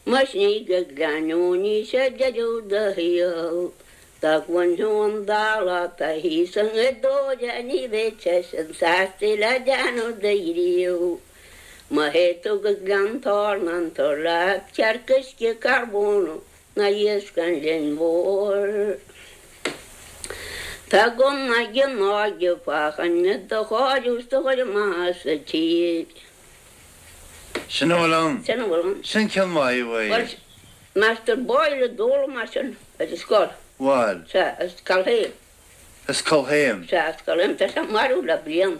Má shnigh go Gleann Eoin is é deireadh do shaoil. Dá gcluinfeadh an dall atá thíos i nGaoth Dobhair ní bheadh seisean sásta le déanamh de dhíobh. Má théid tú go Gleann Torna tabhair leat cearc uisce carbónach ná iasc an linn mhóir. Tá gunna ag an óige fá choinne do chóiriú 's do chur amach as an tír. Sin a bhfuil ann. Sin a bhfuil ann. Sin ceann maith, a Mháire. Bhuel, Master Boyle a d'fhoghlaim é sin ar an scoil. Bhuel. Sea, as Culhane. As Culhane. Sea, as Culhane. Tá sé marbh le bliain.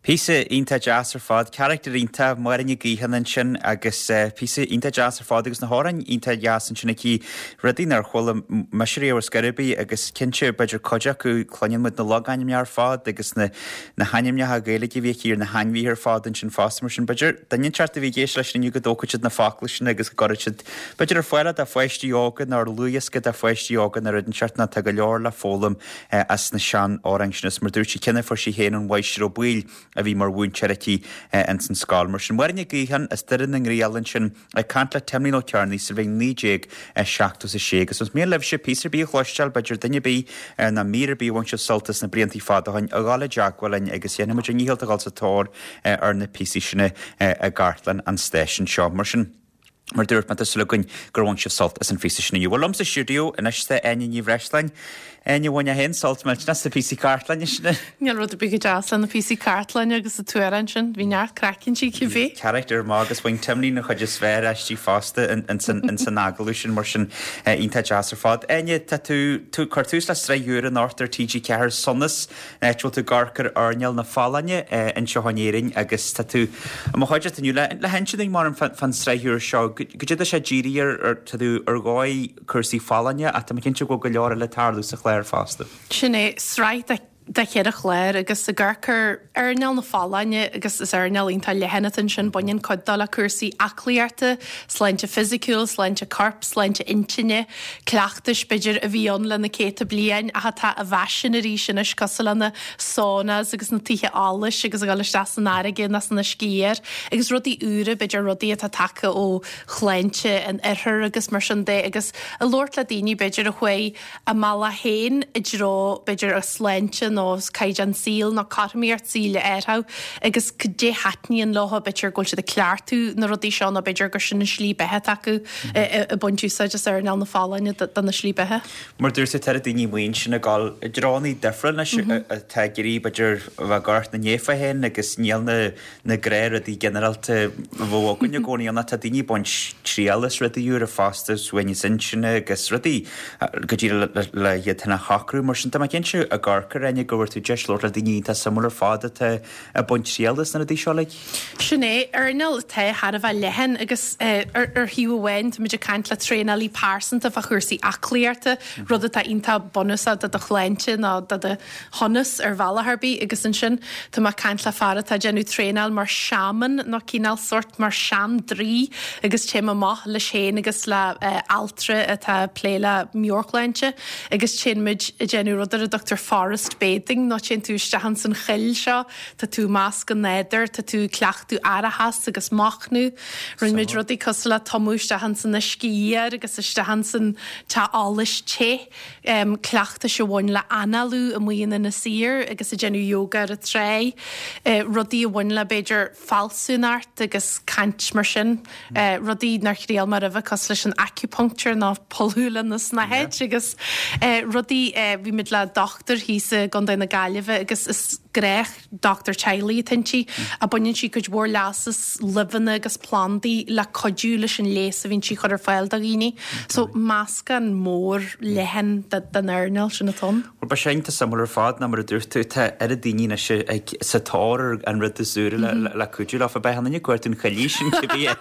Píosa iontach deas ar fad, carachtar iontach, Máire Ní Ghaotháin ansin agus píosa iontach deas ar fad agus na hamhráin iontach deas ansin aici, rudaí nár chuala mise riamh ar scor ar bith agus cinnte b'fhéidir cuid acu cluineann muid na logainmneacha ar fad agus na na hainmneacha Gaeilge a bhí aici ar na hainmhithe ar fad ansin fosta mar sin b'fhéidir duine inteacht a bhí ag éisteacht leis inniu go dtógfaidh siad na focla sin agus go gcuirfidh siad b'fhéidir ar fáil do pháistí óga nó ar dhlúthdhiosca do pháistí óga nó rud inteacht nó tá go leor le foghlaim as na sean-amhráin sin is mar dúirt sí cheana fuair sí féin ón Mháistir Ó Baoill a bhí mar mhúinteoir aici ins an scoil. Mar sin, Máire Ní Ghaotháin as Doire na nGriall ansin ag caint le Timlín Ó Cearnaigh sa bhliain naoi déag seachtó is a sé. Agus más mian libhse píosa ar bith a chloisteáil, b'fhéidir duine ar bith nó mír ar bith a bhain sibh sult as na bliantaí fada ó shin, a ghabháil i dteagmháil linn agus dhéanfaidh muid ár ndícheall a dhul sa tóir ar na píosaí sin i gcartlann an stáisiúin seo. Mar sin. Mar dúirt mé, tá súil againn gur bhain sibh sult as an phíosa sin inniu. Bhuel, liom sa stiúideo anois tá Áine Ní Bhreisleáin. Áine, bhain mé féin sult millteanach as na píosaí cartlainne sin. Níl rud ar bith chomh deas le na píosaí cartlainne agus an t-amhrán sin. Bhí neart craic inti cibé. Carachtar maith agus bhain Timlín an chuid is fearr aisti fosta ins an agallamh sin mar sin iontach deas ar fad. Áine, tá tú ag cur tús le sraith úr anocht ar T G ceathair, Sonas, áit a bhfuil tú ag amharc ar earnáil na folláine anseo in Éirinn agus tá tú i mo chuideachta inniu le le hinse dúinn mar fán sraith úr seo. Goidé tá sé dírithe ar ar tá tú ar dhóigh cúrsaí folláine ach tá mé cinnte go bhfuil go leor eile ag tarlú sa chlár fosta. Sin é, sraith de de cheithre chlár agus ag amharc ar earnáil na folláine agus is earnáil iontach leathan atá ansin, baineann cuid dó le cúrsaí aclaíochta, sláinte fisiciúil, sláinte coirp, sláinte intinne, cleachtais b'fhéidir a bhí ann le na céadta bliain ach atá i bhfaisean arís anois cosúil le na saunas agus na tithe allais agus a dhul isteach san fharraige nó san uisce oighir agus rudaí úra, b'fhéidir rudaí atá tagtha ó shláinte an oirthir agus mar sin de agus ag labhairt le daoine b'fhéidir a chuaigh a mbealach féin i dtreo b'fhéidir a sláinte nó caighdeán saoil nó cothromaíocht saoil a athrú agus cad é a thaitníonn leo, b'fhéidir go bhfuil siad ag cleachtadh na rudaí seo nó b'fhéidir gur sin an slí beatha atá acu ag baint úsáid as earnáil na folláine dona slí beatha. Mar dúirt tú, tá daoine amuigh ansin ag dul i dtreonna difriúil anois atá ag iarraidh b'fhéidir a bheith ag amharc ina ndiaidh féin agus níl na na gnáthrudaí ginearálta a bheadh againn i gcónaí ann ach tá daoine ag baint triail as rudaí úra fosta, suaimhneas intinne agus rudaí go díreach le iad féin a shocrú. Mar sin tá mé cinnte ag amharc ar Áine go bhfuair tú deis labhairt le daoine iontach suimiúil ar fad atá ag baint triail as na rudaí seo uilig. Sin é, earnáil atá thar a bheith leathan agus ar thaobh amháin táimid ag caint le traenálaí pearsanta fá chúrsaí aclaíochta, rud atá iontach bunúsach do do shláinte nó do do shonas ar bhealach ar bith agus ansin tá mé ag caint le fear atá ag déanamh traenáil mar shaman nó cineál sórt mar sean-draoi agus téim amach leis féin agus le altra atá ag plé le meabhairshláinte agus téann muid ag déanamh rud ar a dtugtar forest bathing nó téann tú isteach ins an choill seo, tá tú i measc an nádúir, tá tú ag cleachtadh aireachas agus machnamh. Rinne muid rudaí cosúil le tumadh isteach ins an uisce oighir agus isteach ins an teach allais te, cleachtais a bhain le análú amuigh in Inis Oírr agus ag déanamh yoga ar an tráigh, rudaí a bhain le b'fhéidir fealsúnacht agus caint mar sin, rudaí nár thriail mé roimhe cosúil leis an acupuncture nó pulladh le na snáthaid agus rudaí, bhí muid le dochtúir thíos i gContae na Gaillimhe agus is gnách dochtúir teaghlaigh atá inti a baineann sí cuid mhór leas as luibheanna agus plandaí le cuidiú leis an leigheas a bhíonn sí a chur ar fáil do dhaoine. So meascán mór leathan den earnáil sin atá ann. Bhuel, beidh sé iontach suimiúil ar fad nó mar a dúirt tú, tá oiread daoine anois ag sa tóir ar an rud is úire le le cuidiú leofa. Beidh an duine ag cuartú an choillidh sin cibé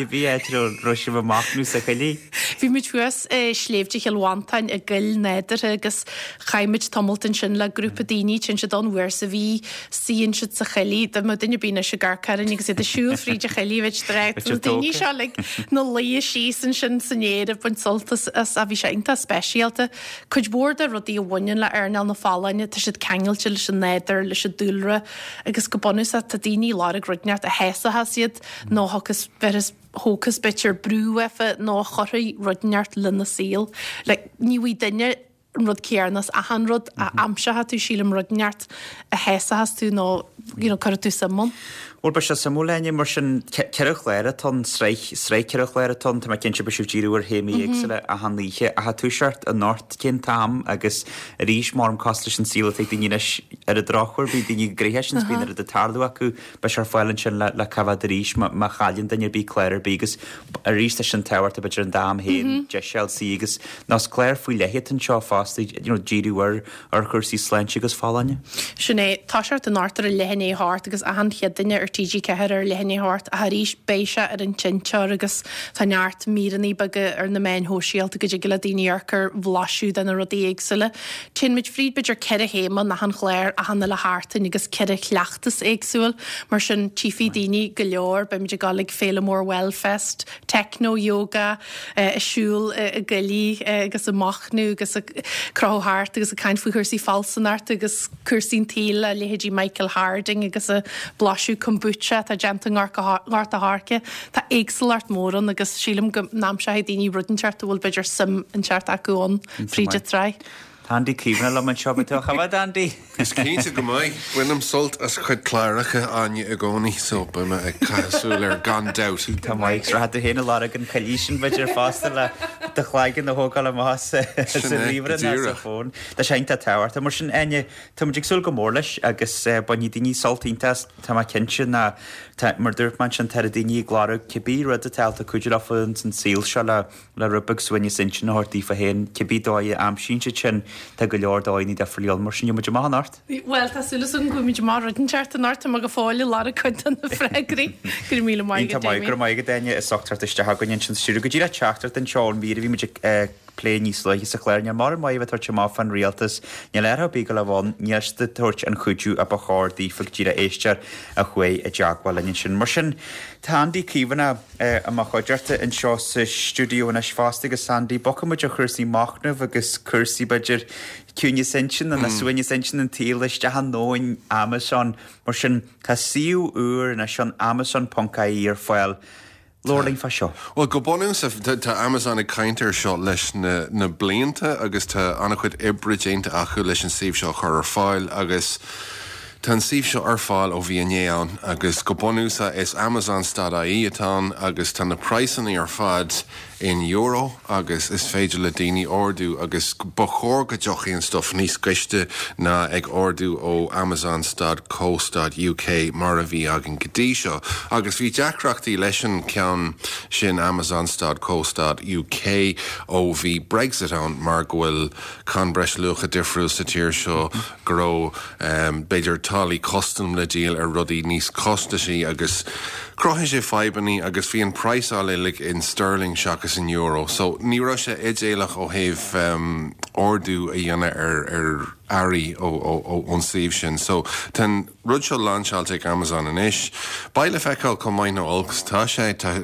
cibé áit a raibh sibh ag machnamh sa choillidh. Bhí muid thuas i Sléibhte Chill Mhantáin i gcoill nádúrtha agus chaith muid tamalt ansin le grúpa daoine, téann siad ann uair sa mhí, suíonn siad sa choillidh, dá mbeadh duine ar bith anois ag amharc orainn agus iad ag siúl fríd an choillidh, bheadh siad ag rá, na daoine seo uilig ina luí síos ansin san fhéar ag baint sult as, as, bhí sé iontach speisialta. Cuid mhór de rudaí a bhaineann le earnáil na folláine, tá siad ceangailte leis an nádúr, leis an dúlra agus go bunúsach tá daoine ag lorg rud inteacht a shásaíos iad nó a thiocfas, bhéarfas, thógfas b'fhéidir brú uafa nó a chuirfidh rud inteacht lena saol. Like, ní bhfaighidh duine an rud céanna as achan rud a aimseoidh tú, sílim, rud inteacht a shásaíos tú nó you know, cuirfidh tú suim ann. Bhuel beidh sé suimiúil Áine mar sin ceithre chlár atá ann, sraith, sraith ceithre chlár atá ann, tá mé cinnte beidh sibh ag díriú ar théamaí éagsúla achan oíche ach ag toiseacht anocht cén t-am agus arís mar cosúil leis an saol atá ag daoine anois ar an drochuair bíonn daoine gnoitheach sin is bíonn rud ag tarlú acu beidh sé ar fáil ansin le le coimhéad arís má má chailleann duine ar bith clár ar bith agus arís tá sin tábhachtach b'fhéidir an t-am féin deis a fháil suí agus nós clár faoi leith atá anseo fosta you know díriú ar ar chúrsaí sláinte agus folláine. Sin é, toiseacht anocht ar a leath i ndiaidh a hocht agus achan Chéadaoine ar TG Ceathair ar leath i ndiaidh a hocht ach arís beidh sé ar an seinnteoir agus tá neart míreanna beaga ar na meáin shóisialta go dtig le daoine amharc ar bhlaiseadh de na rudaí éagsúla. Téann muid fríd b'fhéidir ceithre théama in achan chlár achan uile sheachtain agus ceithre chleachtas éagsúil mar sin tchífidh daoine go leor, beidh muid ag dul ag Féile Mór Wellfest, Techno Yoga, ag siúl i gcoillidh agus ag machnamh agus ag crochadh thart agus ag caint faoi chúrsaí fealsúnachta agus cúrsaí an tsaoil le leithéidí Michael Harding agus ag blaiseadh kombucha atá déanta i nGort a' Choirce. Tá éagsúlacht mór ann agus sílim go n-aimseoidh daoine rud inteacht a bhfuil b'fhéidir suim inteacht acu ann fríd an tsraith. Tá Andy Caomhánach liom anseo, beidh tú á choimhéad, Andy? Is cinnte go mbeidh. Bainim sult as a chuid cláracha, Áine, i gcónaí, so beidh mé ag caitheamh súil air gan dabht. Tá maith, agus rachaidh tú féin ag lorg an choillidh sin b'fhéidir fosta le do chloigeann a thógáil amach as sa Sin é, go ríomhaire nó sa díreach. bhfón. Tá sé iontach tábhachtach. Mar sin, Áine, tá muid ag súil go mór leis agus bainfidh daoine sult iontach as, tá mé cinnte ná tá, mar dúirt mé ansin, tá daoine ag lorg cibé rud atá ábalta cuidiú leofa ins an saol seo le le rud beag suaimhneas intinne a thabhairt daofa féin, cibé dóigh a aimsíonn siad sin, tá go leor dóigheanna difriúla ann, mar sin gheobhaidh muid amach anocht. Bhuel, tá súil agam go bhfaighidh muid amach rud inteacht anocht, tá mé go fóill ag lorg cuid de na freagraí. Go raibh míle maith Iontach agat, maith, go raibh Damien. maith agat, Áine, as ucht teacht isteach againn ansin sa stiúideo. Go díreach teachtaireacht anseo ón mír a bhí muid ag plé níos luaithe sa chlár. Níl mórán maith a bheith ag tabhairt amach fán rialtas, níl ar bith go leibh ann, níl siad ag tabhairt an chuidiú a ba chóir daofa go díreach éisteoir a chuaigh i dteagmháil linn ansin. Mar sin, tá Andy Caomhánach i mo chuideachta anseo sa stiúideo anois fosta agus Andy, bogfaidh muid ó chúrsaí machnaimh agus cúrsaí b'fhéidir ciúineas intinne nó suaimhneas intinne an tsaoil isteach i ndomhan Amazon. Mar sin, tá suíomh úr anois ann, Amazon ponc ie ar fáil. Labhair linn fá seo. Bhuel, go bunúsach, tá Amazon ag caint air seo leis na na blianta agus tá an-chuid oibre déanta acu leis an suíomh seo a chur ar fáil agus tá an suíomh seo ar fáil ó bhí inné ann agus go bunúsach is Amazon stad IE atá ann agus tá na praghsanna ar fad in euro agus is féidir le daoine ordú agus ba chóir go dtiocfaidh an stuff níos gaiste ná ag ordú ó Amazon stad co stad UK mar a bhí againn go dtí seo. Agus bhí deacrachtaí leis an ceann sin Amazon stad co stad UK ó bhí Brexit ann mar go bhfuil cáin breisluacha difriúil sa tír seo go raibh um, b'fhéidir táillí custam le díol ar rudaí níos costasaí agus chruthaigh sé fadhbanna agus bhí an praghsáil uilig in sterling seachas in euro, so ní raibh sé idéalach ó thaobh um, ordú a dhéanamh ar ar earraí ón suíomh sin. So tá an rud seo lainseáilte ag Amazon anois. Beidh le feiceáil chomh maith nó olc tá sé tá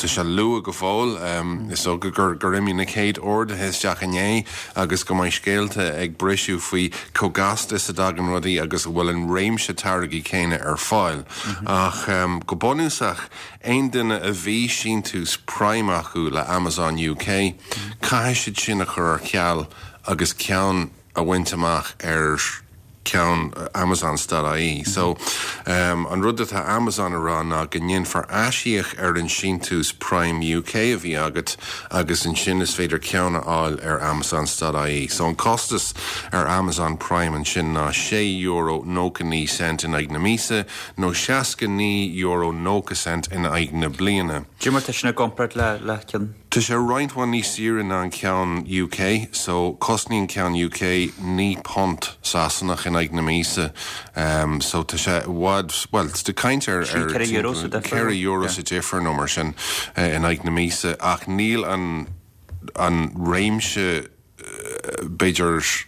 sé luath go fóill um, is dócha gur gur imigh na chéad orduithe isteach inné agus go mbeidh scéalta ag briseadh faoi chomh gasta is a dtagann rudaí agus a bhfuil an réimse táirgí céanna ar fáil. Ach um, go bunúsach aon duine a bhí síntiús Prime acu le Amazon UK, caithfidh siad sin a chur ar ceal agus ceann a bhaint amach ar ceann Amazon stad IE. So um, an rud atá Amazon a rá ná go ndéanfar aisíoc ar an síntiús Prime UK a bhí agat agus ansin is féidir ceann a fháil ar Amazon stad IE. So an costas ar Amazon Prime ansin ná sé euro nócha naoi cent in aghaidh na míosa nó seasca naoi euro nócha cent in aghaidh na bliana. Cad é mar tá sin i gcomparáid le le ceann. Tá sé roinnt mhaith níos saoire ná an ceann UK, so cosnaíonn ceann UK naoi punt Sasanach in aghaidh na míosa. Um, so tá sé i bhfad well de caint ar Sin ceithre euro sa difear. ceithre euro sa difear nó mar sin uh, in aghaidh na míosa ach níl an an réimse uh, b'fhéidir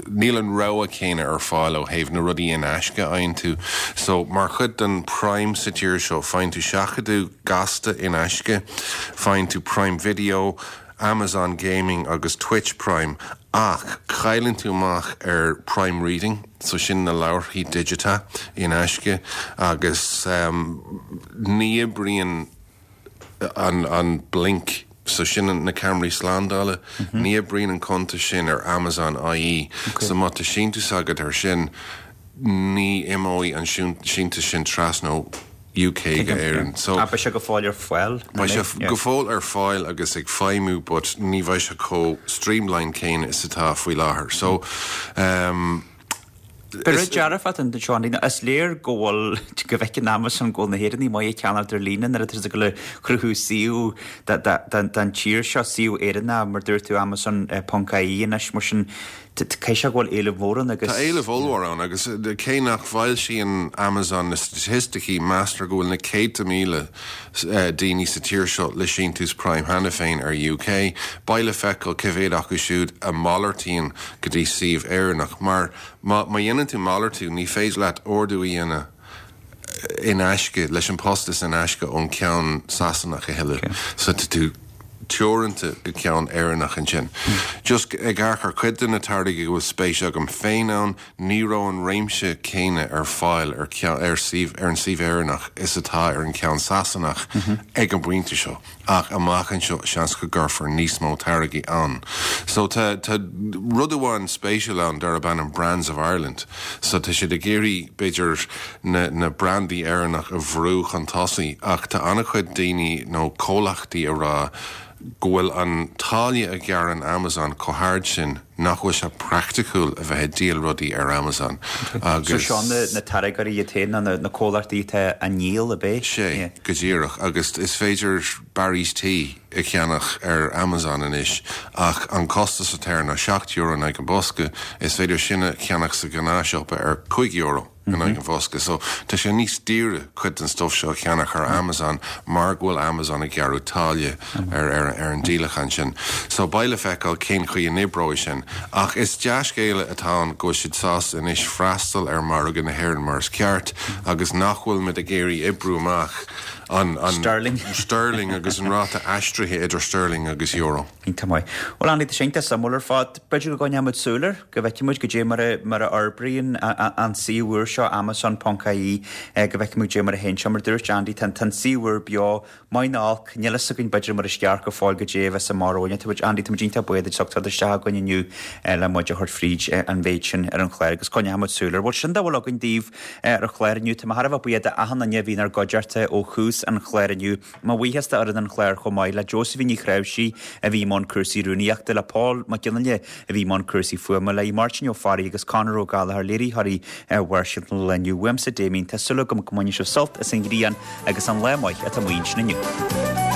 níl an rogha céanna ar fáil ó thaobh na rudaí in aisce a fhaigheann tú. So mar chuid den Prime sa tír seo faigheann tú seachadadh gasta in aisce, faigheann tú Prime Video, Amazon Gaming agus Twitch Prime ach cailleann tú amach ar Prime Reading, so sin na leabharthaí digiteacha in aisce agus um, ní oibríonn an, an Blink so sin na ceamaraí slándála, mm -hmm. ní oibríonn an cuntas sin ar Amazon IE, okay. so má tá síntiús agat ar sin ní imeoidh an síntiús sin trasna ó UK go Éirinn. So beidh sé go fóill ar fáil? Beidh sé go fóill ar fáil agus ag feidhmiú but ní bheidh sé chomh streamlined céanna is atá faoi láthair. So um, Ba rud dearfach an seo an is léir go bhfuil go bhfeiceann Amazon go bhfuil na hÉireannaigh maith ag ceannacht ar líne nuair atá siad ag dul a chruthú suíomh don tír seo, suíomh Éireannach mar dúirt tú Amazon ponc IE anois mar sin caithfidh sé go bhfuil éileamh mór ann agus. Tá éileamh ollmhór ann agus cé nach bhfoilsíonn Amazon na staitisticí meastar go bhfuil na céadta míle daoine sa tír seo le síntiús Prime cheana féin ar UK. Beidh le feiceáil cé mhéad acu siúd a malartaíonn go dtí suíomh Éireannach mar má dhéanann tú malartú ní féidir leat ordú a dhéanamh in aisce leis an postas in aisce ón ceann Sasanach a thuilleadh. So tá tú teoranta go ceann Éireannach ansin. Just ag amharc ar cuid de na táirgí go bhfuil spéis agam féin ann, ní raibh an réimse céanna ar fáil ar ar suíomh ar an suíomh Éireannach is atá ar an ceann Sasanach ag an bpointe seo. Ach amach anseo seans go gcuirfear níos mó táirgí ann. So tá tá rud amháin spéisiúil ann darb ainm Brands of Ireland. So tá siad ag iarraidh b'fhéidir na na brandaí Éireannach a bhrú chun tosaigh ach tá an-chuid daoine nó comhlachtaí a rá go bhfuil an táille a ghearrann Amazon chomh hard sin nach bhfuil sé praiticiúil a bheith ag díol rudaí ar Amazon agus. So seo na na táirgeoirí iad féin nó na comhlachtaí atá á ndíol ab é? Sé, go díreach agus is féidir Barry's Tea a cheannach ar Amazon anois ach an costas atá air ná seacht euro in aghaidh an bosca, is féidir sin a cheannach sa ghnáthsiopa ar cúig euro in aghaidh an bhosca. So tá sé níos daoire cuid den stuff seo a cheannach ar Amazon mar go bhfuil Amazon ag gearradh táille ar ar ar an díolachán sin. So beidh le feiceáil cén chaoi a n-oibreoidh sin. Ach is dea-scéala atá ann go bhfuil siad sásta anois freastal ar mhargadh na hÉireann mar is ceart agus nach bhfuil muid ag iarraidh oibriú amach an an Sterling. Sterling agus an ráta aistrithe idir sterling agus euro. Iontach maith. Bhuel Andy, tá sé iontach suimiúil ar fad. B'fhéidir go gcoinneoidh muid súil air, go bhfeicfidh muid goidé mar a mar a fhorbraíonn an suíomh úr seo Amazon ponc IE, go bhfeicfidh muid goidé mar a théann sé. Mar a dúirt Andy, tá an suíomh úr beo, maith nó olc, níl fhios againn b'fhéidir mar is ceart go fóill goidé a bheas amach romhainn. Tá muid, Andy, tá muid iontach buíoch duit as ucht teacht isteach againn inniu le muid a thabhairt fríd an mhéid sin ar an chlár agus coinneoidh muid súil air. Bhuel, sin dá bhfuil againn daoibh ar an chlár inniu. Tá mé thar a bheith buíoch d'achan duine a bhí inár gcuideachta ó thús an chláir inniu. Mo bhuíochas d'fhoireann an chláir chomh maith le Josephine Ní Chnáimhsí a bhí i mbun cúrsaí rúnaíochta, le Paul Mac Fhionnghaile a bhí i mbun cúrsaí fuaime, le Máirtín Ó Fearraigh agus Conor Ó Gallchóir, léiritheoirí ar Bharrscéalta an lae inniu. Uaimse Damien, tá súil agam go mbainfidh sibh sult as an ghrian agus an lá maith atá amuigh ansin inniu.